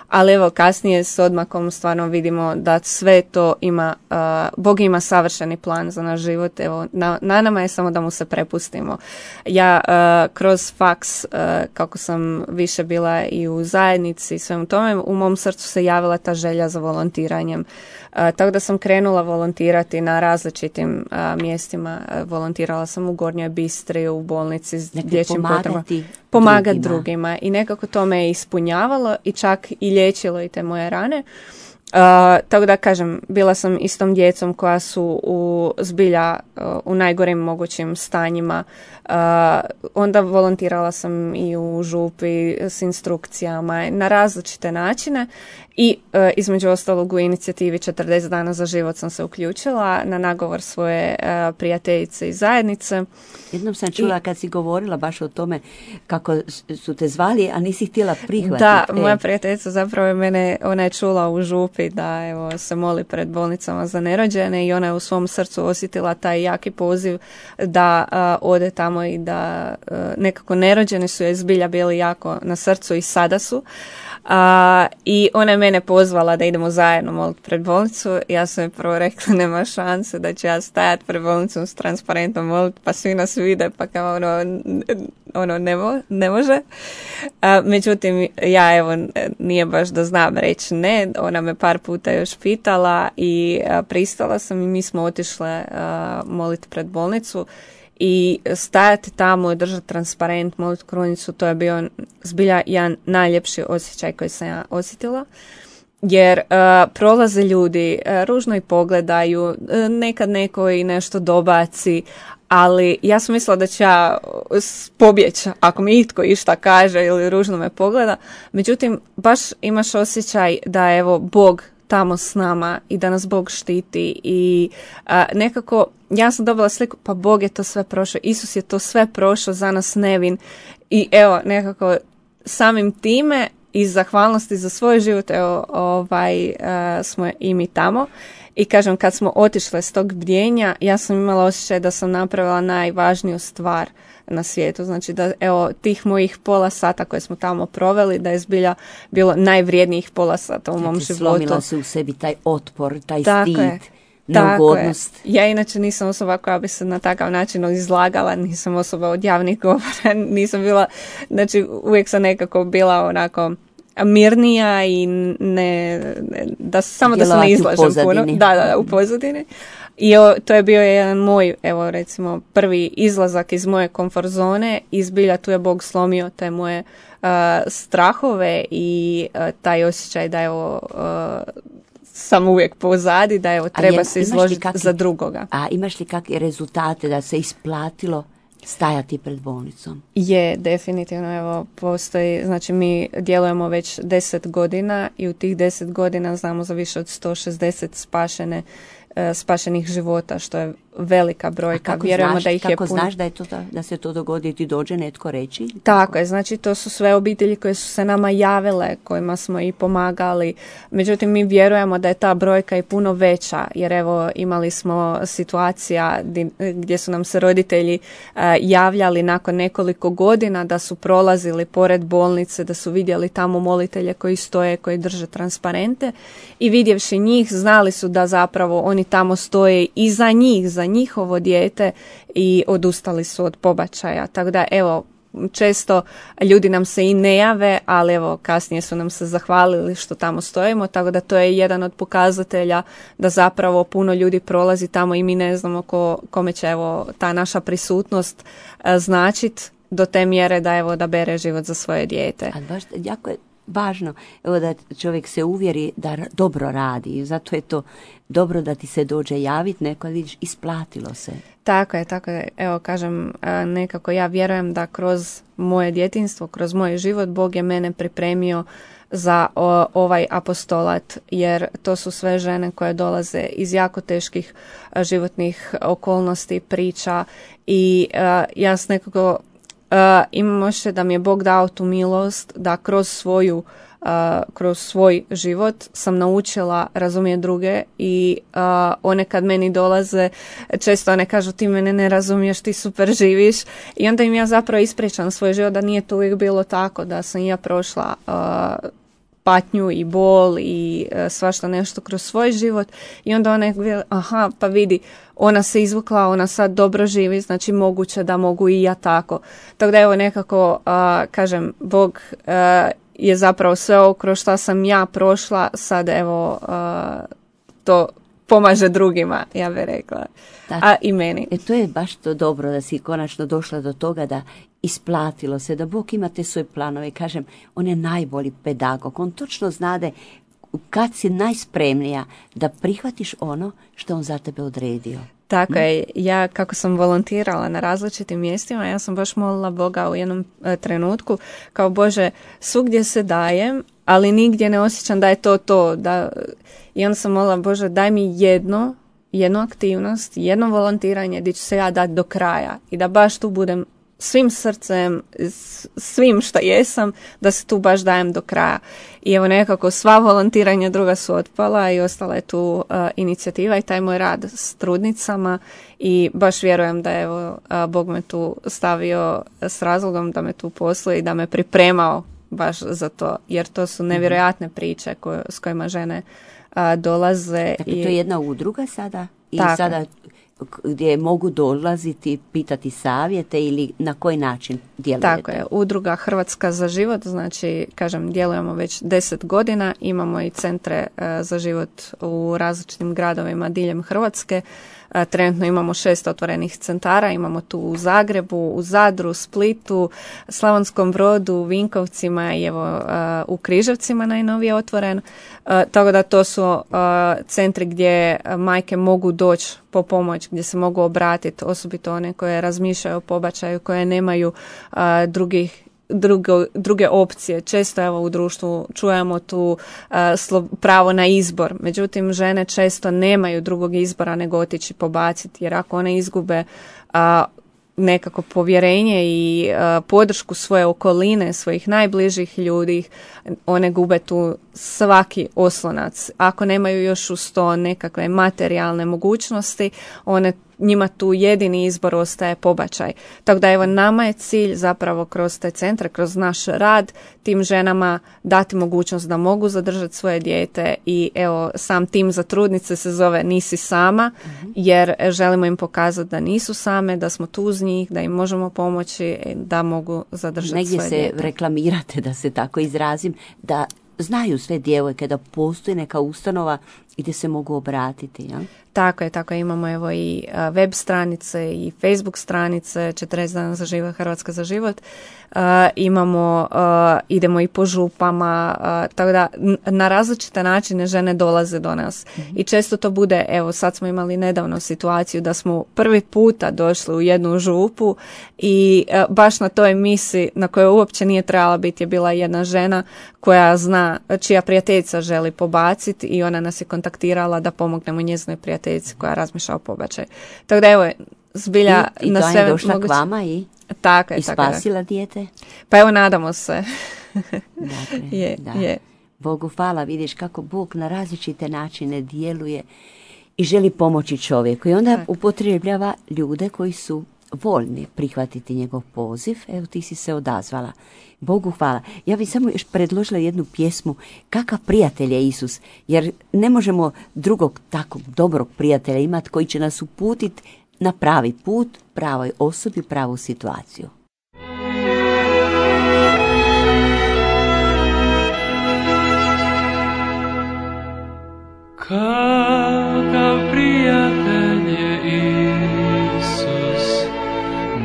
Ali evo kasnije s odmakom stvarno vidimo da sve to ima, uh, Bog ima savršeni plan za naš život, evo na, na nama je samo da mu se prepustimo. Ja uh, kroz faks, uh, kako sam više bila i u zajednici i svemu tome, u mom srcu se javila ta želja za volontiranjem. Uh, tako da sam krenula volontirati na različitim uh, mjestima. Uh, volontirala sam u Gornjoj Bistri, u bolnici s dječjim potrebama. Pomagati drugima. drugima. I nekako to me je ispunjavalo i čak i liječilo i te moje rane. Uh, tako da kažem, bila sam istom djecom koja su u zbilja uh, u najgorim mogućim stanjima. Uh, onda volontirala sam i u župi s instrukcijama na različite načine i uh, između ostalog u inicijativi četrdeset dana za život sam se uključila na nagovor svoje uh, prijateljice i zajednice. Jednom sam čula I, kad si govorila baš o tome kako su te zvali, a nisi htjela prihvatiti. Da, e. moja prijateljica zapravo je mene, ona je čula u župi da evo, se moli pred bolnicama za nerođene i ona je u svom srcu osjetila taj jaki poziv da uh, ode tamo i da uh, nekako nerođeni su joj zbilja bili jako na srcu i sada su. Uh, I ona je mene pozvala da idemo zajedno moliti pred bolnicu. Ja sam joj prvo rekla nema šanse da će ja stajati pred bolnicom s transparentom moliti, pa svi nas vide, pa kao ono, ono ne, mo, ne može. Uh, međutim, ja evo nije baš da znam reći ne. Ona me par puta još pitala i uh, pristala sam i mi smo otišle uh, moliti pred bolnicu. I stajati tamo i držati transparent, moliti krunicu, to je bio zbilja jedan najljepši osjećaj koji sam ja osjetila. Jer uh, prolaze ljudi, uh, ružno i pogledaju, uh, nekad neko i nešto dobaci, ali ja sam mislila da će ja pobjeći ako mi itko išta kaže ili ružno me pogleda. Međutim, baš imaš osjećaj da evo Bog tamo s nama i da nas Bog štiti i a, nekako ja sam dobila sliku, pa Bog je to sve prošao, Isus je to sve prošao za nas nevin i evo nekako samim time iz zahvalnosti za svoj život evo ovaj a, smo i mi tamo i kažem kad smo otišle s tog bdjenja ja sam imala osjećaj da sam napravila najvažniju stvar na svijetu, znači da evo tih mojih pola sata koje smo tamo proveli da je zbilja bilo najvrijednijih pola sata u Kad mom životu. Slomila se u sebi taj otpor, taj tako stid, je, neugodnost. tako je. Ja inače nisam osoba koja bi se na takav način izlagala, nisam osoba od javnih govora, nisam bila, znači uvijek sam nekako bila onako mirnija i ne, da samo da se ne izlažem puno. Da, da, u pozadini. I o, to je bio jedan moj, evo recimo, prvi izlazak iz moje komfort zone i zbilja tu je Bog slomio te moje uh, strahove i uh, taj osjećaj da evo uh, sam uvijek pozadi, da evo treba je, se izložiti kakvi, za drugoga. A imaš li kakve rezultate da se isplatilo stajati pred bolnicom? Je, definitivno, evo, postoji, znači mi djelujemo već deset godina i u tih deset godina znamo za više od sto šezdeset spašene spašenih života, što je velika brojka. Vjerujemo znaš, da ih kako je puno. Znaš da je to da, da se to dogodi i ti dođe netko reći? Tako, tako je, znači to su sve obitelji koje su se nama javile, kojima smo i pomagali. Međutim, mi vjerujemo da je ta brojka i puno veća, jer evo imali smo situacija gdje su nam se roditelji uh, javljali nakon nekoliko godina da su prolazili pored bolnice, da su vidjeli tamo molitelje koji stoje, koji drže transparente i vidjevši njih znali su da zapravo oni tamo stoje i za njih, za njihovo dijete i odustali su od pobačaja. Tako da evo, često ljudi nam se i ne jave, ali evo kasnije su nam se zahvalili što tamo stojimo, tako da to je jedan od pokazatelja da zapravo puno ljudi prolazi tamo i mi ne znamo ko, kome će evo ta naša prisutnost značit do te mjere da evo da bere život za svoje dijete. A baš jako je važno evo da čovjek se uvjeri da dobro radi i zato je to dobro da ti se dođe javiti neko, vidiš, isplatilo se. Tako je, tako je. Evo kažem, nekako ja vjerujem da kroz moje djetinjstvo, kroz moj život Bog je mene pripremio za o, ovaj apostolat, jer to su sve žene koje dolaze iz jako teških životnih okolnosti, priča i uh, ja s nekako imamo još da mi je Bog dao tu milost da kroz svoju uh, kroz svoj život sam naučila razumjeti druge i uh, one kad meni dolaze, često one kažu ti mene ne razumiješ, ti super živiš i onda im ja zapravo ispričam svoj život da nije to uvijek bilo tako, da sam ja prošla uh, patnju i bol i e, svašta nešto kroz svoj život i onda ona je, aha, pa vidi, ona se izvukla, ona sad dobro živi, znači moguće da mogu i ja tako. Tako da evo nekako, a, kažem, Bog a, je zapravo sve ovo kroz što sam ja prošla, sad evo a, to pomaže drugima, ja bih rekla, da, a i meni. E, to je baš to dobro da si konačno došla do toga da isplatilo se, da Bog ima te svoje planove. Kažem, on je najbolji pedagog, on točno znade kad si najspremnija da prihvatiš ono što on za tebe odredio. Tako je, ja kako sam volontirala na različitim mjestima, ja sam baš molila Boga u jednom e, trenutku, kao Bože, svugdje se dajem, ali nigdje ne osjećam da je to to. Da... I onda sam molila, Bože, daj mi jedno, jednu aktivnost, jedno volontiranje gdje ću se ja dati do kraja i da baš tu budem svim srcem, svim što jesam, da se tu baš dajem do kraja. I evo nekako sva volontiranja druga su otpala i ostala je tu uh, inicijativa i taj moj rad s trudnicama i baš vjerujem da evo uh, Bog me tu stavio s razlogom da me tu posluje i da me pripremao baš za to, jer to su nevjerojatne priče koje, s kojima žene uh, dolaze. Dakle, i... to je jedna udruga sada i Tako. sada gdje mogu dolaziti, pitati savjete ili na koji način djelujete? Tako je, udruga Hrvatska za život, znači, kažem, djelujemo već deset godina, imamo i centre uh, za život u različitim gradovima diljem Hrvatske. Uh, trenutno imamo šest otvorenih centara, imamo tu u Zagrebu, u Zadru, Splitu, Slavonskom Brodu, Vinkovcima i evo uh, u Križevcima najnovije otvoren. Uh, tako da to su uh, centri gdje majke mogu doći po pomoć, gdje se mogu obratiti, osobito one koje razmišljaju o pobačaju, koje nemaju uh, drugih Drugo, druge opcije. Često evo u društvu čujemo tu uh, slo, pravo na izbor. Međutim, žene često nemaju drugog izbora nego otići pobaciti, jer ako one izgube uh, nekako povjerenje i uh, podršku svoje okoline, svojih najbližih ljudi, one gube tu svaki oslonac. Ako nemaju još uz to nekakve materijalne mogućnosti, one njima tu jedini izbor ostaje pobačaj. Tako da evo nama je cilj zapravo kroz te centre, kroz naš rad tim ženama dati mogućnost da mogu zadržati svoje dijete i evo sam tim za trudnice se zove Nisi sama, mm-hmm. jer želimo im pokazati da nisu same, da smo tu uz njih, da im možemo pomoći da mogu zadržati Negdje svoje dijete. Negdje se reklamirate, da se tako izrazim, da znaju sve djevojke da postoji neka ustanova gdje se mogu obratiti, ja? Tako je, tako je. Imamo evo i web stranice i Facebook stranice, četrdeset dana za život, Hrvatska za život. Uh, imamo, uh, idemo i po župama, uh, tako da na različite načine žene dolaze do nas. Mm-hmm. I često to bude, evo sad smo imali nedavno situaciju da smo prvi puta došli u jednu župu i uh, baš na toj misi na kojoj uopće nije trebala biti je bila jedna žena koja zna, čija prijateljica želi pobaciti i ona nas je kontaktirala da pomognemo njezinoj prijateljici koja razmišlja o pobačaju. Tako da evo, zbilja I, i na to sve je došla moguće... k vama i, tako je, i tako spasila je. dijete? Pa evo, nadamo se. Dakle, je, da. je. Bogu hvala, vidiš kako Bog na različite načine djeluje i želi pomoći čovjeku. I onda tako. upotrebljava ljude koji su voljni prihvatiti njegov poziv. Evo ti si se odazvala. Bogu hvala. Ja bih samo još predložila jednu pjesmu Kakav prijatelj je Isus, jer ne možemo drugog takvog dobrog prijatelja imati koji će nas uputiti na pravi put, pravoj osobi, pravu situaciju. Kakav prijatelj je Isus,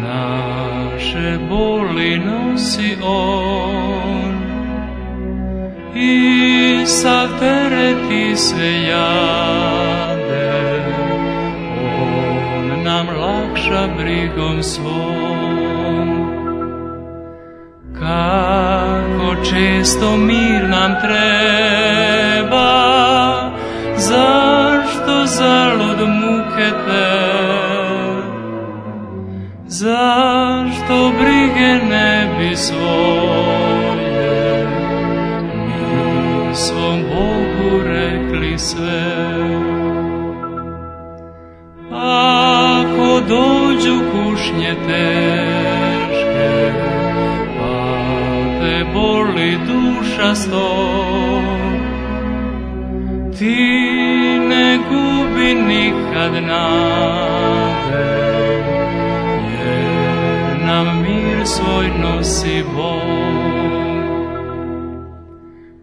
naše boli nosi on, i sav teret i sve jade, on nam lakša brigom svom. Kako često mir nam treba, zašto zalud muke te, zašto brige sve. Ako dođu kušnje teške, pa te boli duša sto, ti ne gubi nikad nade, jer nam mir svoj nosi Bog.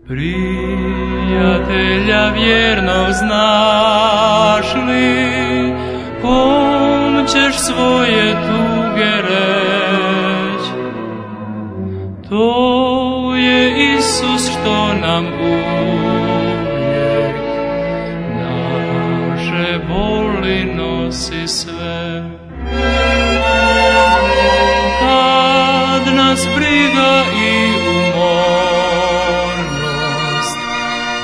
Prijatelja vjernog znaš li, kom ćeš svoje tuge reć? To je Isus što nam uvijek naše boli nosi sve. Kad nas briga i umornost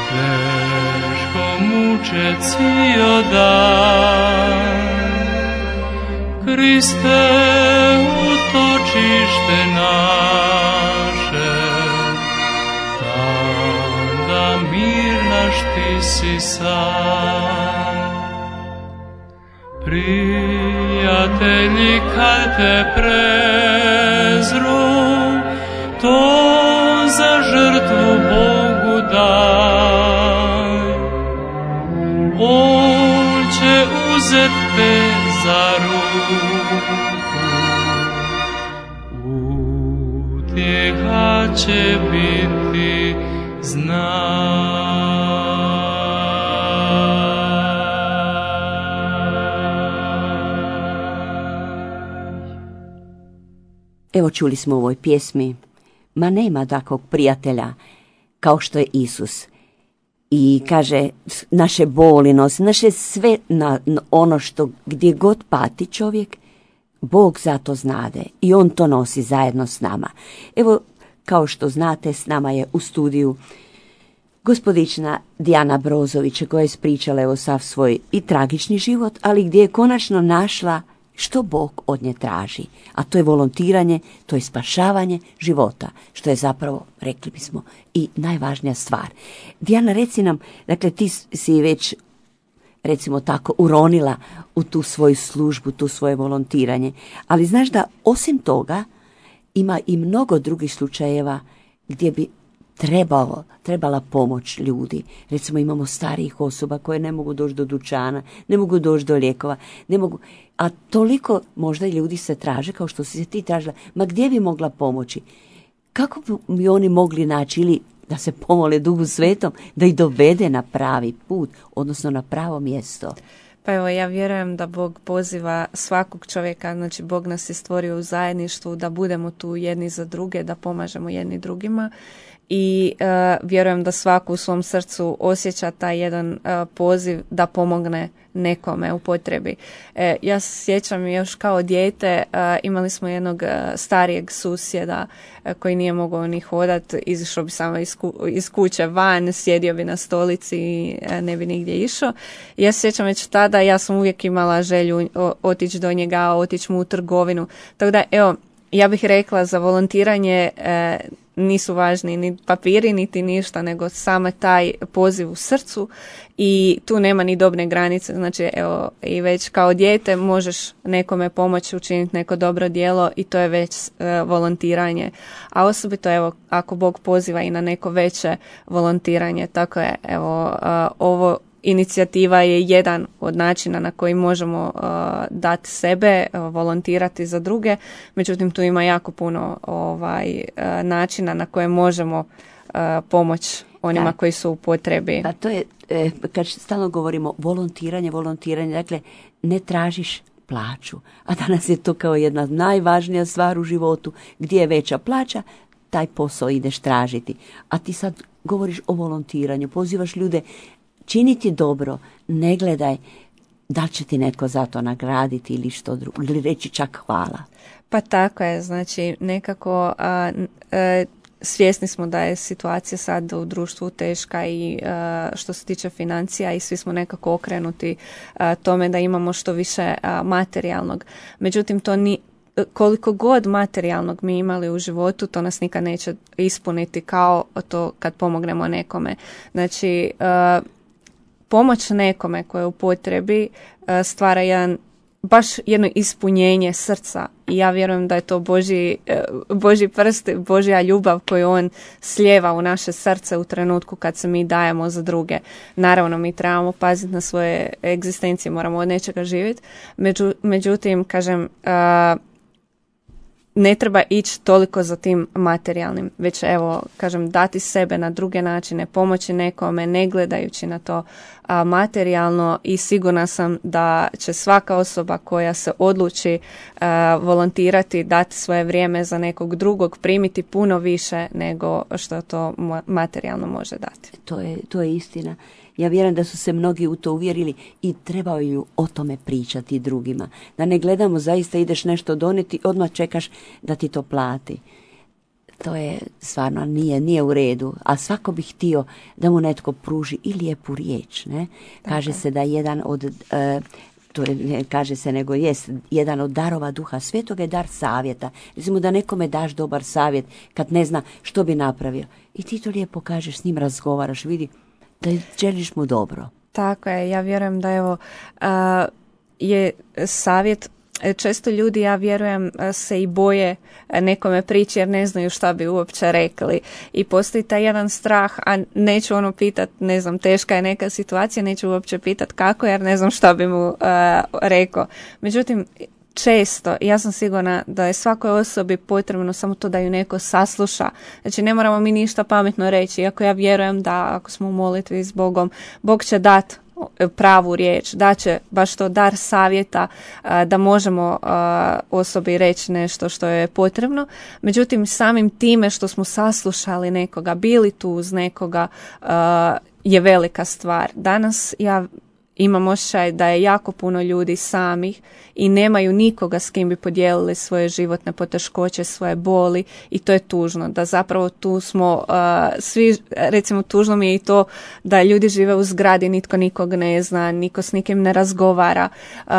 teško muče cijel dan, Kriste, utočište naše, tada mir naš ti si sam. Prijatelji, kad te prezru, to za žrtvu Bogu daj. On će uzet te za ruku, utjeha će biti znaj. Evo čuli smo u ovoj pjesmi, ma nema takvog prijatelja kao što je Isus. I kaže, naše boli nosi, naše sve na, na ono što gdje god pati čovjek, Bog zato znade i on to nosi zajedno s nama. Evo, kao što znate, s nama je u studiju gospodična Dijana Brozović, koja je ispričala evo sav svoj i tragični život, ali gdje je konačno našla što Bog od nje traži, a to je volontiranje, to je spašavanje života, što je zapravo, rekli bismo, i najvažnija stvar. Dijana, reci nam, dakle ti si već, recimo tako, uronila u tu svoju službu, tu svoje volontiranje, ali znaš da osim toga ima i mnogo drugih slučajeva gdje bi trebalo, trebala pomoć ljudi. Recimo imamo starijih osoba koje ne mogu doći do dućana, ne mogu doći do lijekova, ne mogu, a toliko možda i ljudi se traže, kao što si se ti tražila, ma gdje bi mogla pomoći? Kako bi oni mogli naći, ili da se pomole Duhu Svetom, da ih dovede na pravi put, odnosno na pravo mjesto? Pa evo, ja vjerujem da Bog poziva svakog čovjeka, znači Bog nas je stvorio u zajedništvu, da budemo tu jedni za druge, da pomažemo jedni drugima. I uh, vjerujem da svako u svom srcu osjeća taj jedan uh, poziv da pomogne nekome u potrebi. E, ja se sjećam još kao dijete, uh, imali smo jednog uh, starijeg susjeda uh, koji nije mogao ni hodat, izišao bi samo iz, ku, iz kuće van, sjedio bi na stolici i uh, ne bi nigdje išao. Ja se sjećam već tada, ja sam uvijek imala želju o, otići do njega, otići mu u trgovinu. Tako da, evo, ja bih rekla za volontiranje uh, nisu važni ni papiri, niti ništa, nego samo taj poziv u srcu i tu nema ni dobne granice. Znači, evo, i već kao dijete možeš nekome pomoći učiniti neko dobro djelo i to je već uh, volontiranje. A osobito, evo, ako Bog poziva i na neko veće volontiranje, tako je, evo, uh, ovo inicijativa je jedan od načina na koji možemo uh, dati sebe, uh, volontirati za druge, međutim tu ima jako puno ovaj, uh, načina na koje možemo uh, pomoći onima da. koji su u potrebi. Pa to je, e, kad stalno govorimo volontiranje, volontiranje, dakle ne tražiš plaću, a danas je to kao jedna najvažnija stvar u životu, gdje je veća plaća, taj posao ideš tražiti. A ti sad govoriš o volontiranju, pozivaš ljude činiti dobro, ne gledaj da li će ti netko za to nagraditi ili što drugo, ili reći čak hvala. Pa tako je, znači nekako a, a, svjesni smo da je situacija sad u društvu teška i a, što se tiče financija i svi smo nekako okrenuti a, tome da imamo što više a, materijalnog. Međutim, to ni koliko god materijalnog mi imali u životu, to nas nikad neće ispuniti kao to kad pomognemo nekome. Znači, a, pomoć nekome koje u potrebi stvara jedan baš jedno ispunjenje srca i ja vjerujem da je to Božji, Božji prst, Božja ljubav koju on slijeva u naše srce u trenutku kad se mi dajemo za druge. Naravno, mi trebamo paziti na svoje egzistencije, moramo od nečega živjeti. Među, međutim, kažem, ne treba ići toliko za tim materijalnim, već evo, kažem, dati sebe na druge načine, pomoći nekome, ne gledajući na to a, materijalno i sigurna sam da će svaka osoba koja se odluči a, volontirati, dati svoje vrijeme za nekog drugog, primiti puno više nego što to materijalno može dati. To je, to je istina. Ja vjerujem da su se mnogi u to uvjerili i trebaju o tome pričati drugima. Da ne gledamo zaista ideš nešto donijeti, odmah čekaš da ti to plati. To je stvarno nije, nije u redu. A svako bi htio da mu netko pruži i lijepu riječ. Ne? Kaže se da jedan od... Uh, to je, ne kaže se nego jest jedan od darova Duha Svetoga je dar savjeta. Recimo da nekome daš dobar savjet kad ne zna što bi napravio. I ti to lijepo kažeš, s njim razgovaraš, vidi da želiš mu dobro. Tako je, ja vjerujem da evo uh, je savjet, često ljudi, ja vjerujem, se i boje nekome prići jer ne znaju šta bi uopće rekli i postoji taj jedan strah, a neću ono pitat, ne znam, teška je neka situacija, neću uopće pitat kako jer ne znam šta bi mu uh, rekao. Međutim, često, ja sam sigurna da je svakoj osobi potrebno samo to da ju neko sasluša. Znači ne moramo mi ništa pametno reći, iako ja vjerujem da ako smo u molitvi s Bogom, Bog će dati pravu riječ, da će baš to dar savjeta da možemo osobi reći nešto što je potrebno. Međutim, samim time što smo saslušali nekoga, bili tu uz nekoga, je velika stvar. Danas ja imam osjećaj da je jako puno ljudi samih i nemaju nikoga s kim bi podijelili svoje životne poteškoće, svoje boli i to je tužno. Da zapravo tu smo uh, svi, recimo tužno mi je i to da ljudi žive u zgradi, nitko nikog ne zna, niko s nikim ne razgovara. Uh,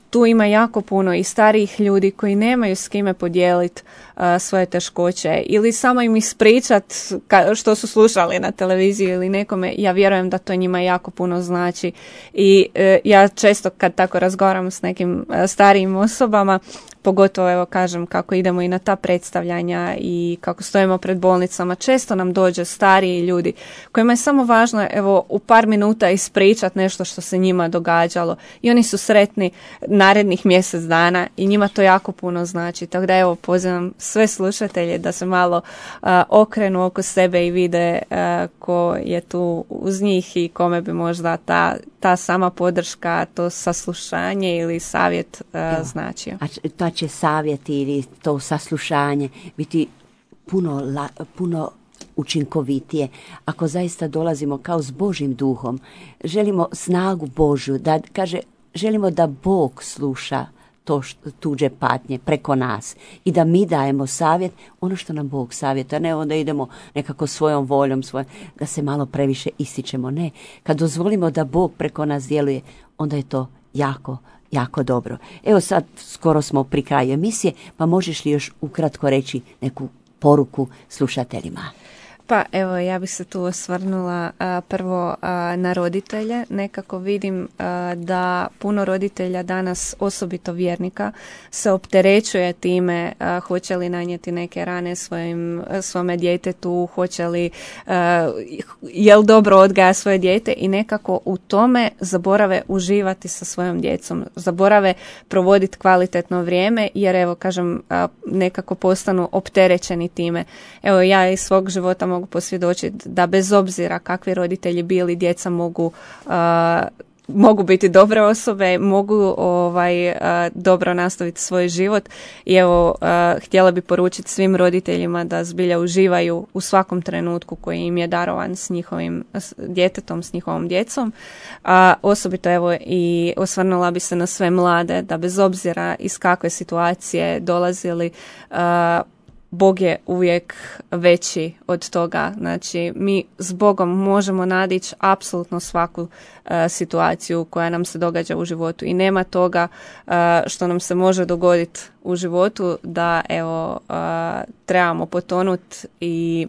tu ima jako puno i starijih ljudi koji nemaju s kime podijeliti uh, svoje teškoće ili samo im ispričat ka, što su slušali na televiziji ili nekome. Ja vjerujem da to njima jako puno znači i uh, ja često kad tako razgovaram s nekim uh, starijim osobama, pogotovo evo kažem kako idemo i na ta predstavljanja i kako stojimo pred bolnicama, često nam dođe stariji ljudi kojima je samo važno evo u par minuta ispričat nešto što se njima događalo i oni su sretni narednih mjesec dana i njima to jako puno znači. Tako da evo pozivam sve slušatelje da se malo uh, okrenu oko sebe i vide uh, ko je tu uz njih i kome bi možda ta, ta sama podrška, to saslušanje ili savjet uh, značio. A ta će savjeti ili to saslušanje biti puno, la, puno učinkovitije ako zaista dolazimo kao s Božjim duhom. Želimo snagu Božju, da kaže, želimo da Bog sluša to što, tuđe patnje preko nas i da mi dajemo savjet, ono što nam Bog savjeta, ne onda idemo nekako svojom voljom, svoj, da se malo previše ističemo. Ne, kad dozvolimo da Bog preko nas djeluje, onda je to jako jako dobro. Evo sad skoro smo pri kraju emisije, pa možeš li još ukratko reći neku poruku slušateljima? Pa evo, ja bih se tu osvrnula a, prvo a, na roditelje. Nekako vidim a, da puno roditelja danas, osobito vjernika, se opterećuje time a, hoće li nanijeti neke rane svojim, svome djetetu, hoće li, a, jel dobro odgaja svoje dijete i nekako u tome zaborave uživati sa svojom djecom. Zaborave provoditi kvalitetno vrijeme jer evo, kažem, a, nekako postanu opterećeni time. Evo, ja iz svog života mogu posvjedočiti da bez obzira kakvi roditelji bili, djeca mogu uh, mogu biti dobre osobe, mogu ovaj uh, dobro nastaviti svoj život i evo uh, htjela bi poručiti svim roditeljima da zbilja uživaju u svakom trenutku koji im je darovan s njihovim s djetetom, s njihovom djecom. Uh, osobito evo i osvrnula bi se na sve mlade da bez obzira iz kakve situacije dolazili, uh, Bog je uvijek veći od toga. Znači, mi s Bogom možemo nadići apsolutno svaku uh, situaciju koja nam se događa u životu i nema toga uh, što nam se može dogoditi u životu da evo uh, trebamo potonuti i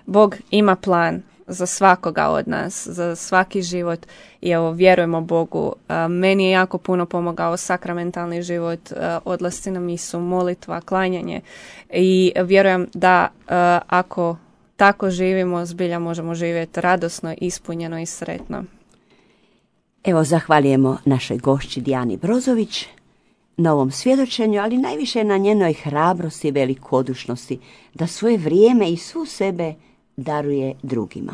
Bog ima plan za svakoga od nas, za svaki život i evo, vjerujemo Bogu. Meni je jako puno pomogao sakramentalni život, odlasci na misu, molitva, klanjanje i vjerujem da ako tako živimo, zbilja možemo živjeti radosno, ispunjeno i sretno. Evo, zahvaljujemo našoj gošći Dijani Brozović na ovom svjedočenju, ali najviše na njenoj hrabrosti i velikodušnosti da svoje vrijeme i svu sebe daruje drugima.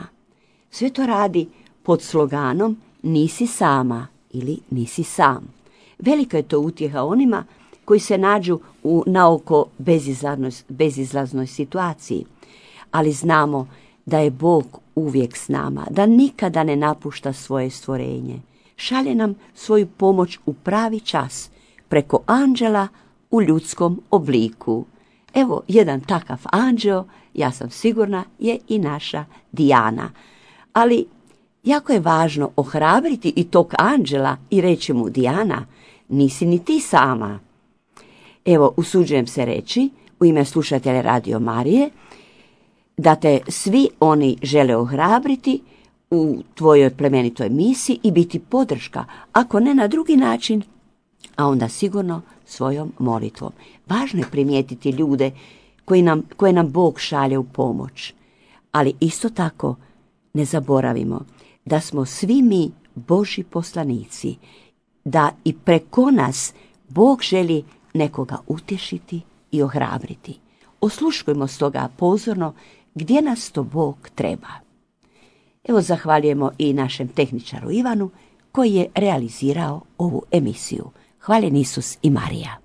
Sve to radi pod sloganom nisi sama ili nisi sam. Velika je to utjeha onima koji se nađu u naoko bezizlaznoj, bezizlaznoj situaciji, ali znamo da je Bog uvijek s nama, da nikada ne napušta svoje stvorenje. Šalje nam svoju pomoć u pravi čas, preko anđela u ljudskom obliku. Evo, jedan takav anđeo, ja sam sigurna, je i naša Dijana. Ali jako je važno ohrabriti i tog anđela i reći mu, Dijana, nisi ni ti sama. Evo, usuđujem se reći, u ime slušatelja Radio Marije, da te svi oni žele ohrabriti u tvojoj plemenitoj misiji i biti podrška, ako ne na drugi način, a onda sigurno svojom molitvom. Važno je primijetiti ljude koji nam, koje nam Bog šalje u pomoć. Ali isto tako ne zaboravimo da smo svi mi Božji poslanici, da i preko nas Bog želi nekoga utješiti i ohrabriti. Osluškujmo stoga pozorno gdje nas to Bog treba. Evo, zahvaljujemo i našem tehničaru Ivanu koji je realizirao ovu emisiju. Hvaljen Isus i Marija.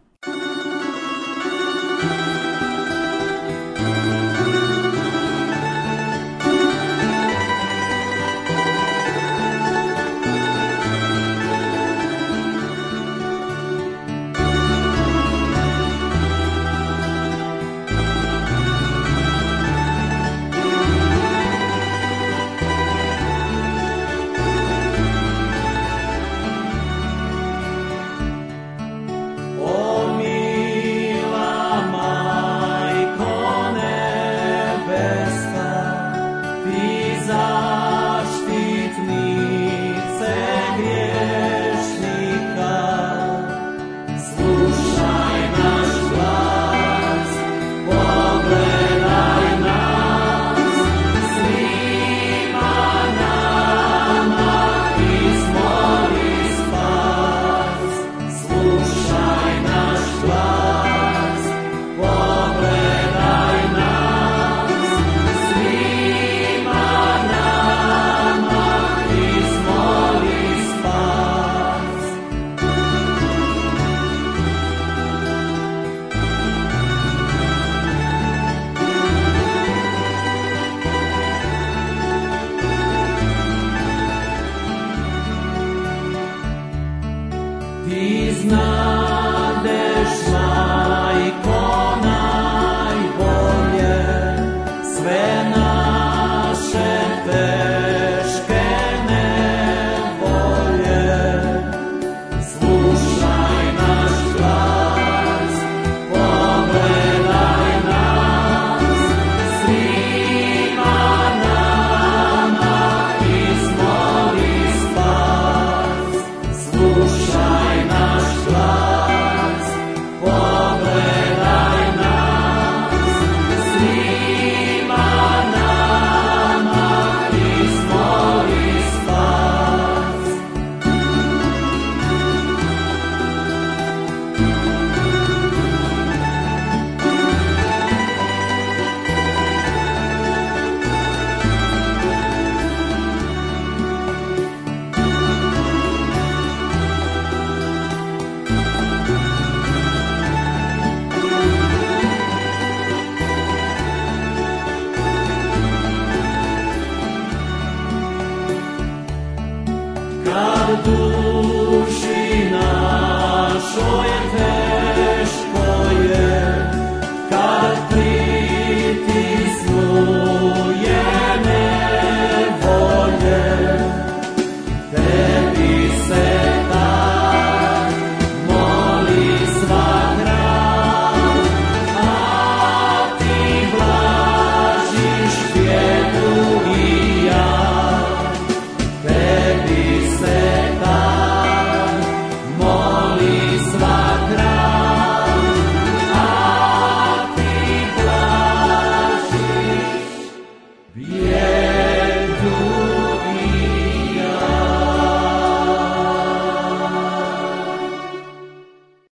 Tu